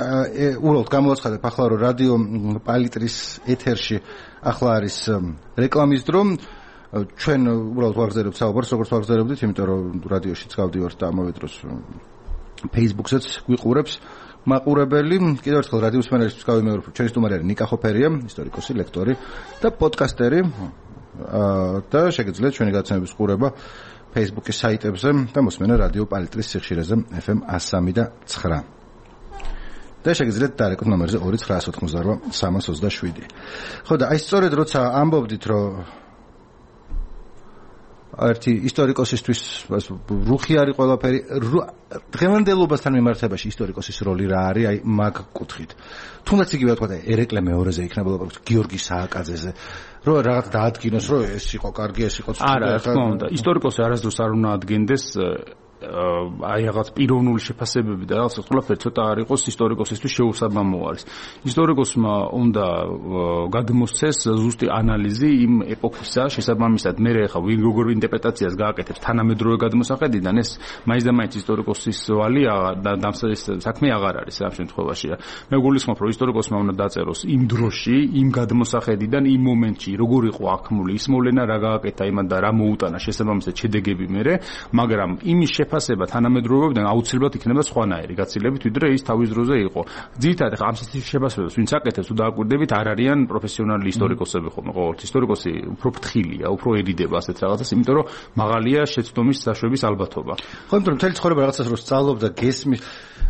უბრალოდ გამოვაცხადებ ახლა რომ რადიო პალიტრის ეთერში ახლა არის რეკლამის დრო, ჩვენ უბრალოდ ვაგრძელებთ საუბარს, როგორც ვაგრძელებდით, იმიტომ რომ რადიოშიც გავდივართ და ამავე დროს Facebook-საც გვიყურებს მაყურებელი. კიდევ ერთხელ რადიოს მენეჯერს გავიმეორებ, ჩვენი სტუმარი არის ნიკა ხოფერია, ისტორიკოსი, ლექტორი და პოდკასტერი და შეგიძლიათ ჩვენი გადაცემების ყურება Facebook-ის საიტებზე და მოსმენა რადიო პალიტრის სიხშირეზე ეფ ემ one oh three და nine. და შეგიძლიათ დაერეკოთ ნომერზე ორი ცხრაას ოთხმოცდარვა სამას ოცდაშვიდი. ხო და აი სწორედ როცა ამბობდით, რომ ერთი ისტორიკოსისთვის რუხი არის ყველაფერი, დღევანდელობასთან მიმართებაში ისტორიკოსის როლი რა არის, აი მაგ კუთხით. თუნდაც იგივე თქვა და ერეკლე მეორეზე იქნება ლაპარაკი გიორგი სააკაძეზე. რომ რაღაც დაადგინოს, რომ ეს იყო კარგი, ეს იყო ცუდი. არა, რა თქმა უნდა, ისტორიკოსი არასდროს არ უნდა ადგენდეს აი რაღაც პიროვნული შეფასებები და რაღაც ყველაფერი ცოტა არ იყოს ისტორიკოსისთვის შეუსაბამო არის. ისტორიკოსმა უნდა გადმოსცეს ზუსტი ანალიზი იმ ეპოქისა შესაბამისად. მე ხა ვინ როგორ ინტერპრეტაციას გააკეთებს თანამედროვე გადმოსახედიდან, ეს მაინც და მაინც ისტორიკოსის ვალი და დამსაჯის საქმე აღარ არის ამ შემთხვევაში. მე გულისხმობ, რომ ისტორიკოსმა უნდა დაწეროს იმ დროში, იმ გადმოსახედიდან, იმ მომენტში, როგორ იყო აღქმული ის მოვლენა, რა გააკეთა იმან და რა მოუტანა შესაბამისად შედეგები მერე, მაგრამ იმის ფასება თანამედროვეობიდან აუცილებლად იქნება სხვანაირი გაცილებით, ვიდრე ის თავის დროზე იყო. ძირითადად ახლა ამ სასწრაფო შეფასებებს ვინც აკეთებს თუ დააკვირდებით, არ არიან პროფესიონალი ისტორიკოსები ხოლმე. ყოველთ ისტორიკოსი უფრო ფრთხილია, უფრო ერიდება ასეთ რაღაცას, იმიტომ რომ მაღალია შეცდომის საშვების ალბათობა. ხო, იმიტომ რომ მთელი ცხოვრება რაღაცას რო სწავლობ და გესმის,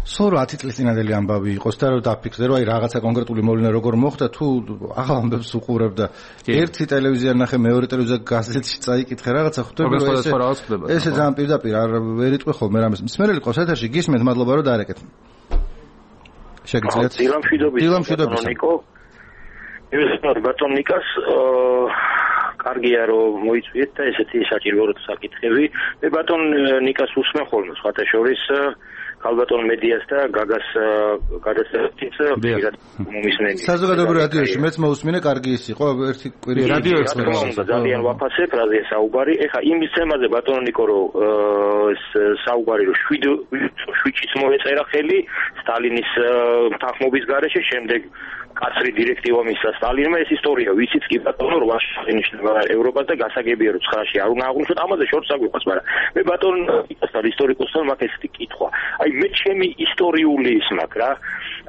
სულ ათი წლის წინანდელი ამბავი იყოს და რომ დაფიქსდე, რომ აი რაღაცა კონკრეტული მოვლენა როგორ მოხდა, თუ ახალ ამბებს უყურებ და ერთი ტელევიზია ნახე, მეორე ტელევიზია გაზეთში წაიკითხე რაღაცა, ხვდები რომ ესე ესე ძალიან პირდაპირ არ ვერ იტყვი ხოლმე რამეს. მსმენელი ყავს ეთერში, გისმენთ, მადლობა რომ დაარეკეთ. შეგიძლიათ დილამშვიდობის ნიკო. მივესალმებ ბატონ ნიკას, კარგია რომ მოიწვიეთ და ესეთი საჭირო რო საკითხები. მე ბატონ ნიკას უსმენ ხოლმე სხვათა შორის ქალბატონ მედიას და გაგას გადაცემით პირად მომისმენია. საზოგადოებრივ რადიოში მეც მოусმინე, კარგი ის იყო, ერთი კვირი რადიო ექსპერიმენტი. ძალიან ვაფასებ, რაზეა საუბარი. ეხა იმის თემაზე ბატონ ნიკო რომ ეს საუბარი რომ შვიდშიც მოეწერა ხელი სტალინის თანხმობის გარეშე, შემდეგ კაცრი დირექტივა მისცა სტალინმა, ეს ისტორია ვიცით კი ბატონო, რვაში აღინიშნება ევროპას და გასაგებია რომ ცხრაში არ უნდა აღვნიშნოთ, ამაზე შორს აგვიყვას, მაგრამ მე ბატონ ნიკასთან ისტორიკოსთან მაქვს ესეთი კითხვა. აი მე ჩემი ისტორიული ის მაქვს რა,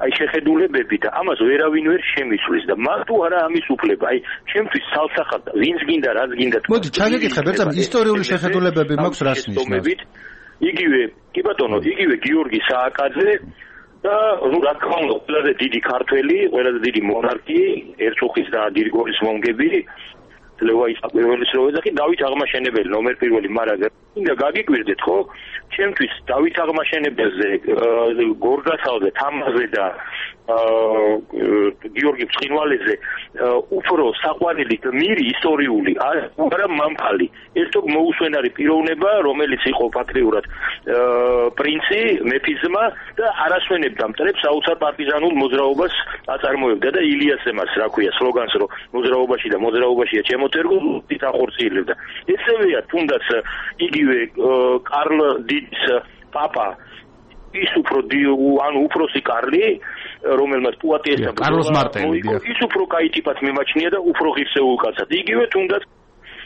აი შეხედულებები და ამას ვერავინ ვერ შემისulis და მაგ თუ არა ამის უფლება, აი ჩემთვის სალსახად ვინც გინდა, რაც გინდა. მოდი ჩაგეკითხებ, ერთად ისტორიული შეხედულებები მაქვს რას ნიშნავს? იგივე, კი ბატონო, იგივე გიორგი სააკაძე და ნუ რა თქმა უნდა, ყველაზე დიდი ქართველი, ყველაზე დიდი მონარქი, ერწუხის და დირიგორის მომგები ძლევა ის პირველი სროვა და კი დავით აღმაშენებელი ნომერ პირველი, მაგრამ მინდა გაგიკვირდეთ, ხო? ჩემთვის დავით აღმაშენებელზე, გორგასალზე, თამაზე და გიორგი ცხინვალეზე უფრო საყვარელი გმირი ისტორიული არა მამფალი. ეს თო მოუსვენარი პიროვნება, რომელიც იყო ფაქტიურად პრინცი, მეფიზმა და არასვენებდა მტრებს საოცარ პარტიზანულ მოძრაობას აწარმოებდა და ილიას ემას, რა ქვია, სლოგანს, რომ მოძრაობაში და მოძრაობაშია ჩემოთერგო დახორციელებდა. ესევეა თუნდაც იგივე კარლ დიდის პაპა ის უფრო ანუ უფროსი კარლი, რომელმაც პუატიესთან კარლოს მარტელი ის უფრო კაი ტიპად მიმაჩნია და უფრო ღირსეულ კაცად. იგივე თუნდაც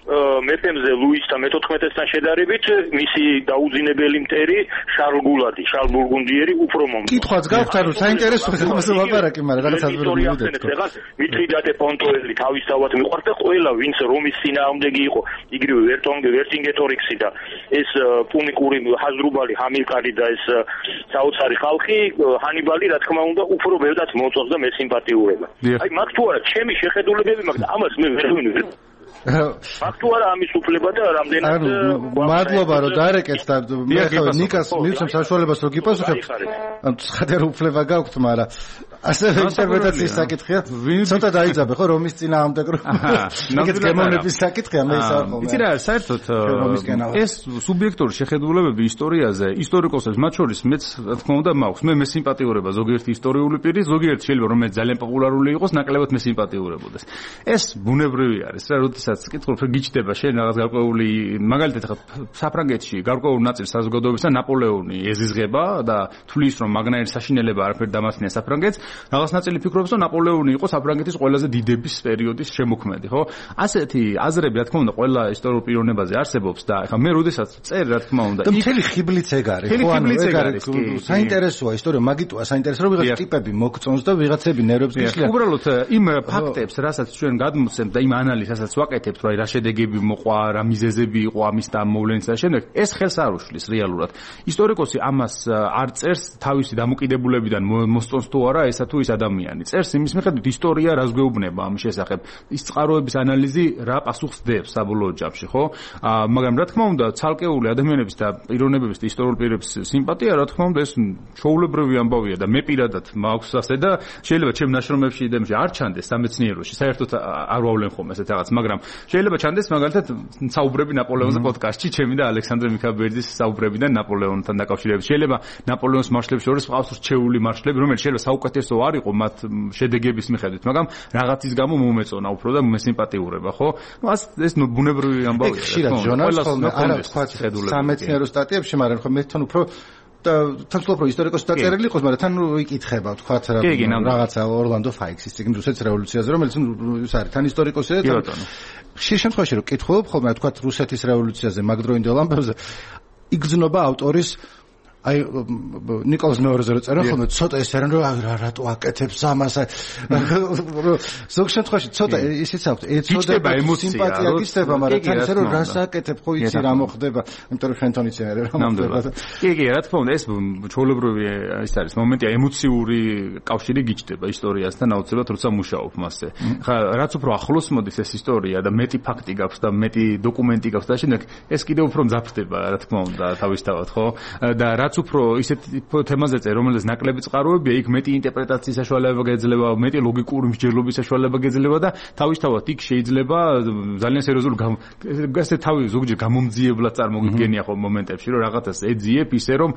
მეფემზე ლუისთან მეთოთხმეტესთან შედარებით მისი დაუძინებელი მტერი შარლ გულადი, შარლ ბურგუნდიერი უფრო მომწონს. კითხვაც გაქვთ, ანუ საინტერესო ხმასე ლაპარაკი, მაგრამ რაღაც აზრი მივიდეთ. მიტრიდატე პონტოელი თავისთავად მიყვარს და ყველა ვინც რომის წინააღმდეგი იყო, იგივე ვერტონგე, ვერტინგეტორიქსი და ეს პუნიკური ჰაზრუბალი, ჰამილკარი და ეს საოცარი ხალხი, ჰანიბალი, რა თქმა უნდა, უფრო ბევრად მოწონს და მესიმპათიურება. აი მაგ თუ არა ჩემი შეხედულებები, მაგრამ ამას მე ვერ ვინვი. ფაქტუ არა ამის უფლება და რამდენად ანუ მადლობა რომ დაერეკეთ და მე ხავ ნიკას მივცემ საშუალებას რომ გიპასუხებ. ანუ ცხადერ უფლება გაქვთ, მაგრამ ასევე ინტერპრეტაციის საკითხია. ცოტა დაიძაბე ხო რომის წინააღმდეგ რომ იქეთ გემოვნების საკითხია მე ისა ხო. იცი რა, საერთოდ ეს სუბიექტური შეხედულებები ისტორიაზე, ისტორიკოსებს მათ შორის მეც რა თქმა უნდა მაქვს. მე მესიმპათიურება ზოგიერთი ისტორიული პირი, ზოგიერთი შეიძლება რომ მე ძალიან პოპულარული იყოს, ნაკლებად მესიმპათიურებოდეს. ეს ბუნებრივი არის რა, როდესაც კითხულობ რომ გიჩდება შენ რაღაც გარკვეული მაგალითად ხა საფრანგეთში გარკვეულ ნაწილს საზოგადოებისა ნაპოლეონი ეზიზღება და თვლის რომ მაგნაირი საშინელება არაფერ დამასწნია საფრანგეთს. რაღაც ნაწილი ფიქრობს რომ ნაპოლეონი იყო საფრანგეთის ყველაზე დიდების პერიოდის შემოქმედი, ხო? ასეთი აზრები რა თქმა უნდა ყველა ისტორიულ პიროვნებაზე არსებობს და ხა მე როდესაც წერ რა თქმა უნდა და მთელი ხიბლიც ეგ არის, ხო? ანუ ეგ არის საინტერესოა ისტორია, მაგიტოა საინტერესო რომ ვიღაც ტიპები მოგწონს და ვიღაცები ნერვებს გიშლიან. უბრალოდ იმ ფაქტებს, რასაც ჩვენ გადმოცემთ და იმ ანალიზს, რასაც ვაკეთებთ, რა შედეგები მოყვა, რა მიზეზები იყო ამის და მოვლენის და შემდეგ, ეს ხელს არ უშლის რეალურად. ისტორიკოსი ამას არ წერს თავისი დამოკიდებულებიდან მოსწონს თუ არა ესა თუ ის ადამიანი. წერს იმის მიხედვით ისტორია რას გვეუბნება ამის შესახებ. ის წყაროების ანალიზი რა პასუხს დებს საბოლოო ჯამში, ხო? მაგრამ რა თქმა უნდა, ცალკეული ადამიანების და პიროვნებების და ისტორიულ პირების სიმპათია, რა თქმა უნდა, ეს ჩვეულებრივი ამბავია და მე პირადად მაქვს ასე და შეიძლება ჩემ ნაშრომებში და არ ჩანდეს სამეცნიეროში. საერთოდ არ ვავლენ ხომ ესეთ რაღაც, მაგრამ შეიძლება ჩანდეს მაგალითად საუბრები ნაპოლეონზე პოდკასტში, ჩემი და ალექსანდრე მიქაბერდის საუბრებიდან ნაპოლეონთან დაკავშირებით. შეიძლება ნაპოლეონის მარშლებს შორის ყავს რჩეული მარშლები, რომელიც შეიძლება საუკეთესო არ იყო მათ შედეგების მიხედვით, მაგრამ რაღაცის გამო მომეწონა უფრო და მესიმპათიურება, ხო? ნუ ეს ბუნებრივი ამბავია. ხშირად ჟურნალს ხოლმე არა თქვა სამეცნიერო სტატიებში, მაგრამ ხო მე თან უფრო და თან ვთქვი რომ ისტორიკოსი დაწერილი იყოს, მაგრამ თან ვიკითხება, თქვა რაღაცა ორლანდო ფაიქსის წიგნ რუსეთის რევოლუციაზე, რომელიც ის არის თან ისტორიკოსია და ხშირ შემთხვევაში რომ კითხულობ ხოლმე, თქვა რუსეთის რევოლუციაზე, მაგდროინდელ ამბებზე, იგრძნობა ავტორის აი ნიკოლას მეორეზე რო წერა ხოლმე ცოტა ეს არის რომ რა რატო აკეთებს ამას ზოგ შემთხვევაში ცოტა ისიც აქვს ეცოდება სიმპათია გისდება მაგრამ თან ისე რომ რას აკეთებ ხო იცი რა მოხდება იმიტომ რომ შენ თვითონ იცი რა მოხდება კი კი რა თქმა უნდა ეს ჩვეულებრივი ის არის მომენტია ემოციური კავშირი გიჩდება ისტორიასთან აუცილებლად როცა მუშაობ მასზე ხა რაც უფრო ახლოს მოდის ეს ისტორია და მეტი ფაქტი გაქვს და მეტი დოკუმენტი გაქვს და შემდეგ ეს კიდევ უფრო მძაფრდება რა თქმა უნდა თავისთავად ხო და რაც უფრო ისეთ თემაზე წერე, რომელიც ნაკლები წყაროებია, იქ მეტი ინტერპრეტაციის საშუალება გეძლება, მეტი ლოგიკური მსჯელობის საშუალება გეძლება და თავისთავად იქ შეიძლება ძალიან სერიოზული გასე თავი ზოგჯერ გამომძიებლად წარმოგიდგენია ხო მომენტებში, რომ რაღაცას ეძიებ ისე რომ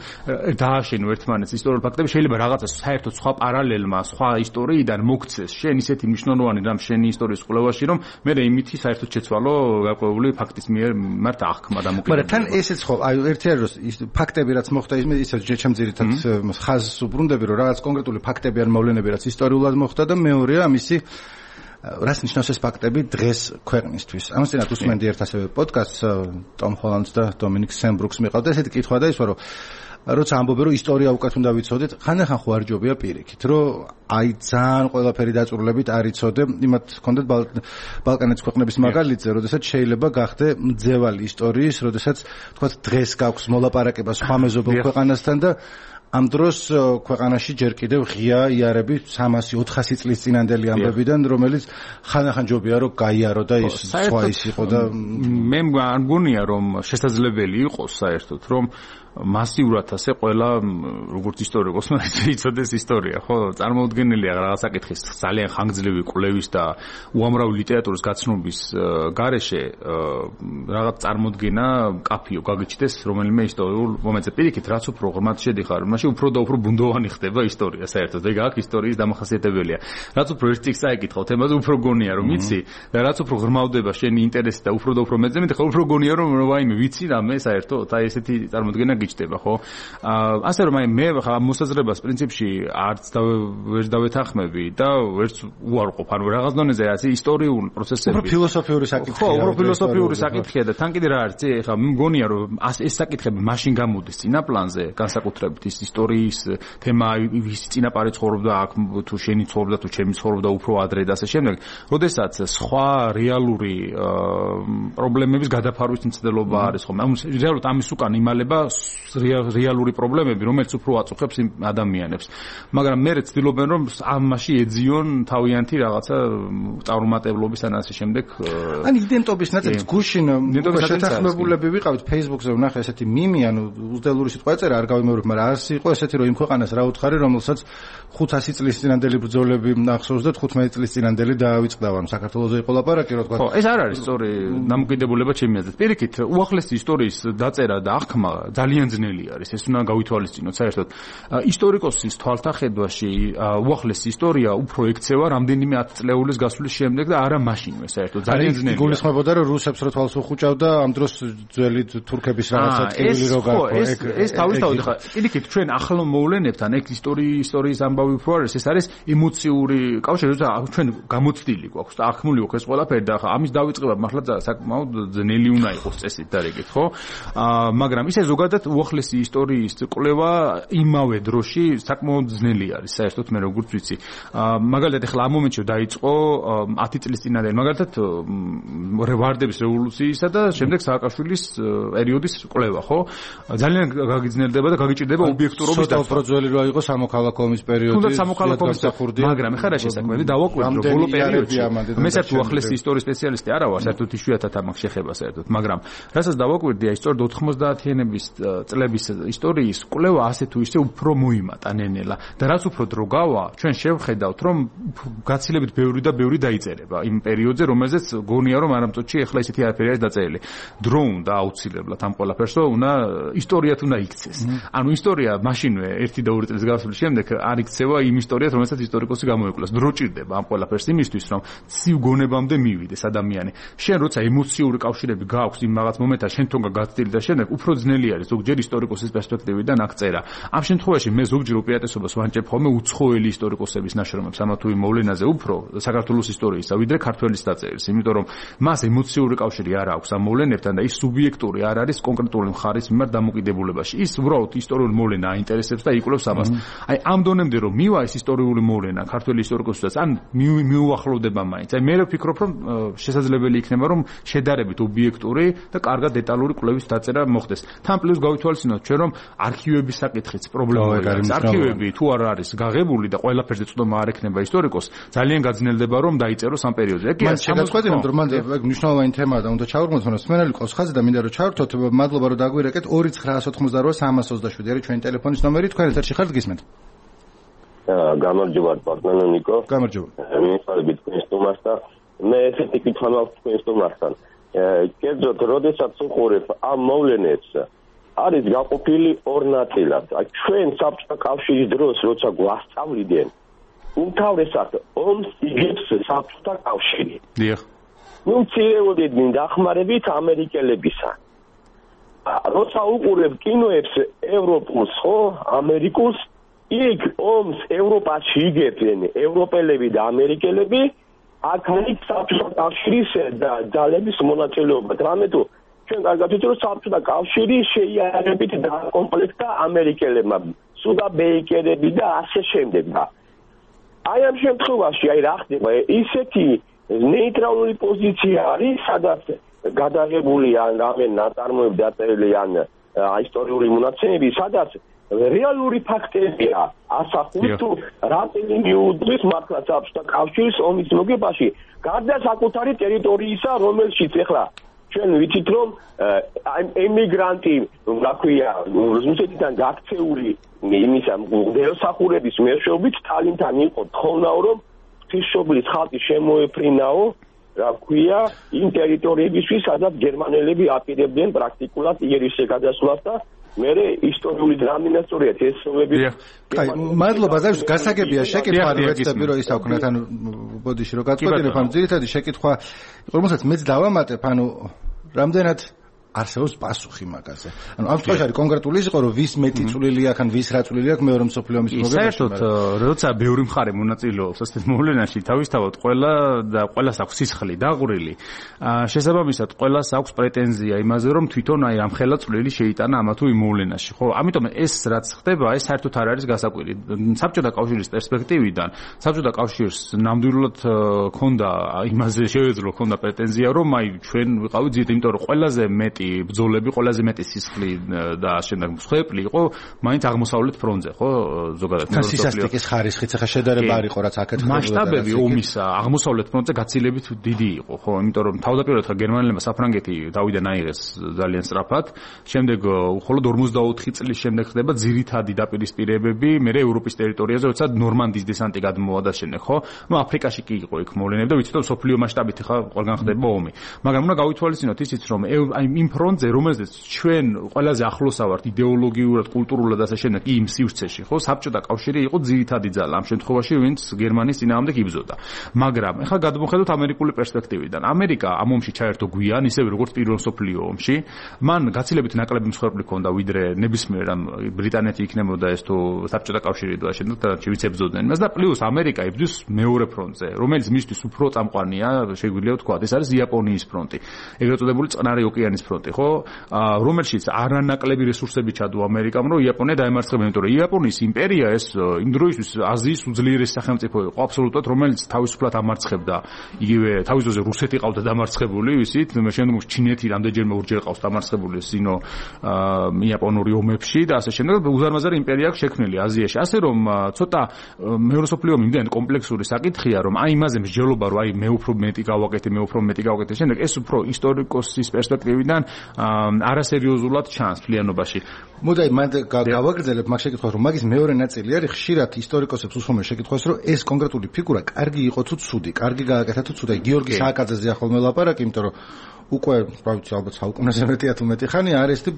დააშენო ერთმანეთს ისტორიულ ფაქტები, შეიძლება რაღაცას საერთოდ სხვა პარალელმა, სხვა ისტორიიდან მოგცეს შენ ისეთი მნიშვნელოვანი რამ შენი ისტორიის კვლევაში, რომ მე იმითი საერთოდ შეცვალო გარკვეული ფაქტის მიერ მართ აღქმა და მოკიდება. მაგრამ თან ესეც ხო, აი ერთი არის რომ ფაქტები რაც მოხდა ისე ჩემ ძირითად ხაზს უბრუნდები რომ რაღაც კონკრეტული ფაქტები ან მოვლენები რაც ისტორიულად მოხდა და მეორეა ამისი რას ნიშნავს ეს ფაქტები დღეს ქვეყნისთვის. ამასთანავე უსმენდი ერთ ასევე პოდკასტს ტომ ჰოლანდს და დომინიკ სენბრუქს მიყავდა ესეთი კითხვა და ის რომ როცა ამბობენ რომ ისტორია უკეთ უნდა ვიცოდეთ, ხანდახან ხო არ ჯობია პირიქით, რომ აი ძალიან ყველაფერი დაწურლებით არ იცოდე, იმათ ჰქონდეთ ბალკანეთის ქვეყნების მაგალითზე, როდესაც შეიძლება გახდე მძევალი ისტორიის, როდესაც თქვათ დღეს გაქვს მოლაპარაკება სხვა მეზობელ ქვეყანასთან და ამ დროს ქვეყანაში ჯერ კიდევ ღია იარები სამასი ოთხასი წლის წინანდელი ამბებიდან, რომელიც ხანახან ჯობია რომ გაიარო და ის სხვა ის იყო და მე არ მგონია რომ შესაძლებელი იყოს საერთოდ რომ მასიურად ასე ყველა როგორც ისტორიკოსმა იცოდეს ისტორია, ხო? წარმოუდგენელია რაღაც საკითხის ძალიან ხანგრძლივი კვლევის და უამრავი ლიტერატურის გაცნობის გარეშე რაღაც წარმოდგენა კაფიო გაგიჩნდეს რომელიმე ისტორიულ მომენტზე. პირიქით, რაც უფრო ღრმად შედიხარ, მაშინ უფრო და უფრო ბუნდოვანი ხდება ისტორია საერთოდ. ეგ აქ ისტორიის დამახასიათებელია. რაც უფრო ერთ წიგნს აიკითხავ თემაზე, უფრო გონია რომ იცი და რაც უფრო ღრმავდება შენი ინტერესი და უფრო და უფრო მეძებნი, ხო, უფრო გონია რომ ვაიმე ვიცი რამე საერთოდ, აი ესეთი წარმოდგენა გიჩნდება, ხო? აა ასე რომ აი მე ხა მოსაზრებას პრინციპში არც ვერ დავეთანხმები და ვერც უარყოფ, ანუ რაღაც დონეზე ასე ისტორიული პროცესები. უფრო ფილოსოფიური საკითხია. ხო, უფრო ფილოსოფიური საკითხია და თან კიდე რა არის, ხა მგონია რომ ეს საკითხები მაშინ გამოდის წინა პლანზე, განსაკუთრებით ის ისტორიის თემა, ვის წინაპარი ცხოვრობდა აქ, თუ შენი ცხოვრობდა, თუ ჩემი ცხოვრობდა უფრო ადრე და ასე შემდეგ, როდესაც სხვა რეალური პრობლემების გადაფარვის მცდელობა არის ხომ? ანუ რეალურად ამის უკან იმალება რეალური პრობლემები, რომელიც უფრო აწუხებს იმ ადამიანებს. მაგრამ მე ვცდილობენ რომ ამაში ეძიონ თავიანთი რაღაცა წარუმატებლობის ან ასე შემდეგ. ან იდენტობის ნაწილს გუშინ შეთანხმებულები ვიყავით Facebook-ზე ვნახე ესეთი მიმი, ანუ უძდელური სიტყვა ეწერა, არ გავიმეორებ, მაგრამ არც იყო ესეთი რომ იმ ქვეყანას რა უთხარი, რომელსაც ხუთასი წლის წინანდელი ბრძოლები ახსოვს და თხუთმეტი წლის წინანდელი დაავიწყდა, ანუ საქართველოზე იყო ლაპარაკი, რა თქვა. ხო, ეს არ არის სწორი დამოკიდებულება ჩემი აზრით. პირიქით, უახლესი ისტორიის დაწერა და აღქმა ძალიან ძნელი არის. ეს უნდა გავითვალისწინოთ საერთოდ. ისტორიკოსის თვალთახედვაში უახლესი ისტორია უფრო ექცევა რამდენიმე ათწლეულის გასვლის შემდეგ და არა მაშინვე საერთოდ. ძალიან ძნელია. გულისხმობოდა რომ რუსებს რო თვალს უხუჭავდა, ამ დროს ძველი თურქების რაღაცა ტკივილი რო გაყო. ეს ეს თავისთავად ხა. პირიქით, ჩვენ ახლო მოვლენებთან ეგ ისტორიის ისტორიის ამბავი უფრო არის, ეს არის ემოციური კავშირი, როცა ჩვენ გამოცდილი გვაქვს და აღქმული აქვს ეს ყველაფერი და ხა ამის დავიწყება მართლა საკმაოდ ძნელი უნდა იყოს წესით და რეგით, ხო? აა მაგრამ ისე ზოგადად უახლესი ისტორიის კვლევა იმავე დროში საკმაოდ ძნელი არის საერთოდ მე როგორც ვიცი. მაგალითად ახლა ამ მომენტში დაიწყო ათი წლის წინანდელი მაგალითად ვარდების რევოლუციისა და შემდეგ სააკაშვილის პერიოდის კვლევა, ხო? ძალიან გაგიძნელდება და გაგიჭირდება ობიექტურობის დაცვა. უფრო ძველი რო იყო სამოქალაქო ომის პერიოდი. თუნდაც სამოქალაქო ომის პერიოდი, მაგრამ ეხლა რა შესაძლებელი დავაკვირდით რომ ბოლო პერიოდში მე საერთოდ უახლესი ისტორიის სპეციალისტი არა ვარ, საერთოდ იშვიათად ამას შეხება საერთოდ, მაგრამ რასაც დავაკვირდი, აი სწორედ ოთხმოცდაათიანების წლების ისტორიის კვლევა ასე თუ ისე უფრო მოიმატა ნენელა და რაც უფრო დრო გავა, ჩვენ შევხედავთ რომ გაცილებით ბევრი და ბევრი დაიწერება იმ პერიოდზე, რომელზეც გონია რომ არამწუთში ეხლა ისეთი არაფერი არის დაწერილი. დრო უნდა აუცილებლად ამ ყველაფერს, რომ უნდა ისტორიათ უნდა იქცეს. ანუ ისტორია მაშინვე ერთი და ორი წლის გასვლის შემდეგ არ იქცევა იმ ისტორიას, რომელსაც ისტორიკოსი გამოიკვლიოს. დრო ჭირდება ამ ყველაფერს იმისთვის, რომ ცივ გონებამდე მივიდეს ადამიანი. შენ როცა ემოციური კავშირები გააქვს იმ რაღაც მომენტთან, შენ თონგა გაცდილი და შემდეგ უფრო ძნელი არის ზოგჯერ ისტორიკოსის პერსპექტივიდან აღწერა. ამ შემთხვევაში მე ზოგჯერ უპირატესობას ვანჭებ ხოლმე უცხოელი ისტორიკოსების ნაშრომებს ამა თუ იმ მოვლენაზე უფრო საქართველოს ისტორიისა, ვიდრე ქართველის დაწერილს, იმიტომ რომ მას ემოციური კავშირი არ აქვს ამ მოვლენებთან და ის სუბიექტური არ არის კონკრეტული მხარის მიმართ დამოკიდებულებაში. ის უბრალოდ ისტორიული მოვლენა აინტერესებს და იკვლევს ამას. აი ამ დონემდე რომ მივა ეს ისტორიული მოვლენა ქართველი ისტორიკოსთვისაც, ან მიუახლოვდება მაინც. აი მე ვფიქრობ რომ შესაძლებელი იქნება რომ შედარებით ობიექტური და კარგად დეტალური კვლევის დაწერა მოხდეს. თან პლუს გავითვალისწინოთ ჩვენ რომ არქივების საკითხიც პრობლემაა. არქივები თუ არ არის გაღებული და ყველაფერზე წვდომა არ ექნება ისტორიკოს, ძალიან გაძნელდება რომ დაიწეროს ამ პერიოდზე. ეგ ის შემოგვეცინოთ რომ მან ეგ მნიშვნელოვანი თემაა და უნდა ჩავარგმოთ, მაგრამ სმენელი ყავს ხაზი და მინდა რომ ჩავერთოთ. მადლობა რომ დაგვირეკეთ. ორი ცხრაას ოთხმოცდარვა სამას ოცდაშვიდი არის ჩვენი ტელეფონის ნომერი. თქვენ ეთერში ხართ, გისმენთ? გამარჯობა პარტნიორი ნიკო. გამარჯობა. მინიჭებით თქვენს სტუმარს და მე ესეთი კითხვა მაქვს თქვენს სტუმართან. კერძოდ, როდესაც უყურებ ამ მოვლენებს, არის გაყოფილი ორ ნაწილად. ჩვენ საბჭოთა კავშირის დროს, როცა გვასწავლდნენ, უმთავრესად ომს იგებს საბჭოთა კავშირი. დიახ. ნუ მცირეოდენ დახმარებით ამერიკელებისა. როცა უყურებ კინოებს ევროპულს, ხო, ამერიკულს, იქ ომს ევროპაში იგებენ ევროპელები და ამერიკელები, აქ არის საბჭოთა კავშირის ძალების მონაწილეობა. რამე თუ ჩვენ კარგად ვიცით რომ საბჭოთა კავშირი შეიარებით დაკომპლექტდა ამერიკელებმა, სუდა ბეიკერები და ასე შემდეგ. აი ამ შემთხვევაში აი რა ხდება, ისეთი ნეიტრალური პოზიცია არის, სადაც გადაღებული ან რამე ნაწარმოები დაწერილი ან ისტორიული მონაცემები, სადაც რეალური ფაქტებია ასახული თუ რატომ მიუძღვის მართლა საბჭოთა კავშირის ომის მოგებაში გარდა საკუთარი ტერიტორიისა, რომელშიც ახლა ჩვენ ვიცით რომ ემიგრანტი, რა ქვია, რუსეთიდან გაქცეული იმისა მდელოსახურების მეშვეობით სტალინთან იყო თხოვნაო რომ ღვთისმშობლის ხალხი შემოეფრინაო, რა ქვია, იმ ტერიტორიებისთვის, სადაც გერმანელები აპირებდნენ პრაქტიკულად იერიშზე გადასვლას და მე ისტორიული დრამინასტორია თესობები. აი, მადლობა, ზავს გასაგებია შეკითხვა, ვეცდები რომ ისაუქნათ, ანუ ბოდიში რომ გაწყვეტინებ, ანუ ძირითადი შეკითხვა, რომელსაც მეც დავამატებ, ანუ რამდენად არსებობს პასუხი მაგაზე. ანუ ამ შემთხვევაში არის კონკრეტული ის იყო, რომ ვის მეტი წვლილი აქვს, ან ვის რა წვლილი აქვს მეორე მსოფლიო ომის მოგებაში. საერთოდ, როცა ბევრი მხარე მონაწილეობს ასეთ მოვლენაში, თავისთავად ყველა და ყველას აქვს სისხლი დაღვრილი. შესაბამისად, ყველას აქვს პრეტენზია იმაზე, რომ თვითონ აი ამხელა წვლილი შეიტანა ამა თუ იმ მოვლენაში, ხო? ამიტომ ეს რაც ხდება, ეს საერთოდ არ არის გასაკვირი. საბჭოთა კავშირის პერსპექტივიდან, საბჭოთა კავშირს ნამდვილად ქონდა იმაზე შეეძლო, ქონდა პრეტენზია, რომ აი ჩვენ ვიყავით ძირითადად, იმიტომ რომ ყველაზე მეტი ბრძოლები, ყველაზე მეტი სისხლი და შემდეგ მსხვერპლი იყო მაინც აღმოსავლეთ ფრონტზე, ხო? ზოგადად სისასტიკის ხარისხიც ახლა შედარება არ იყო, რაც აქეთ ხდებოდა. მასშტაბები ომისა აღმოსავლეთ ფრონტზე გაცილებით დიდი იყო, ხო? იმიტომ რომ თავდაპირველად ხა გერმანელებმა საფრანგეთი დავიდან აიღეს ძალიან სწრაფად, შემდეგ მხოლოდ ორმოცდაოთხი წლის შემდეგ ხდება ძირითადი დაპირისპირებები, მე ევროპის ტერიტორიაზე, როცა ნორმანდიის დესანტი გადმოვა და შემდეგ, ხო? ნუ აფრიკაში კი იყო იქ მოვლენები და ვიცით რომ სოფლიო მასშტაბით ხა ყველგან ხდება ომი. მაგრამ უნდა გავითვალისწინოთ ისიც რომ აი იმ ფრონტზე, რომელზეც ჩვენ ყველაზე ახლოსა ვართ იდეოლოგიურად, კულტურულად და ასე შემდეგ იმ სივრცეში, ხო, საბჭოთა კავშირი იყო ძირითადი ძალა ამ შემთხვევაში, ვინც გერმანიის წინააღმდეგ იბრძოდა. მაგრამ ეხლა გადმოხედოთ ამერიკული პერსპექტივიდან. ამერიკა ამ ომში ჩაერთო გვიან, ისევე როგორც პირველ მსოფლიო ომში. მან გაცილებით ნაკლები მსხვერპლი ჰქონდა, ვიდრე ნებისმიერ ამ ბრიტანეთი იქნებოდა ეს თუ საბჭოთა კავშირი და ასე შემდეგ და შევიცებდნენ იმას და პლუს ამერიკა იბრძვის მეორე ფრონტზე, რომელიც მისთვის უფრო წამყვანია, შეგვიძლია ვთქვა, ეს არის იაპონიის ფრონტი. ეგრეთ წოდებული წყნარი ოკეანის ფრონტი, ხო? რომელშიც არანაკლები რესურსები ჩადო ამერიკამ, რომ იაპონია დაემარცხებინა, იმიტომ რომ იაპონიის იმპერია ეს იმ დროისთვის აზიის უძლიერესი სახელმწიფო იყო აბსოლუტურად, რომელიც თავისუფლად ამარცხებდა. იგივე თავის დროზე რუსეთი ყავდა დამარცხებული, ვიცით, შემდეგ ჩინეთი რამდენჯერმე ორჯერ ყავს დამარცხებული სინო იაპონური ომებში და ასე შემდეგ. უზარმაზარი იმპერია აქვს შექმნილი აზიაში. ასე რომ ცოტა მეორე მსოფლიო ომი იმდენ კომპლექსური საკითხია, რომ აი იმაზე მსჯელობა, რომ აი მე უფრო მეტი გავაკეთე, მე უფრო მეტი გავაკეთე, შემდეგ ეს უფრო ისტორიკოსის პერსპექტივიდან არასერიოზულად ჩანს ფლიანობაში. მოდაი მან გავაგრძელებ მაგ შეკითხვას, რომ მაგის მეორე ნაწილი არის ხშირად ისტორიკოსებს უსვამენ შეკითხვას, რომ ეს კონკრეტული ფიგურა კარგი იყო თუ ცუდი, კარგი გააკეთა თუ ცუდი. გიორგი სააკაძეზე ახლა მელაპარაკი, იმიტომ რომ უკვე, რა ვიცი, ალბათ საუკუნეზე მეტია თუ მეტი ხანი არის და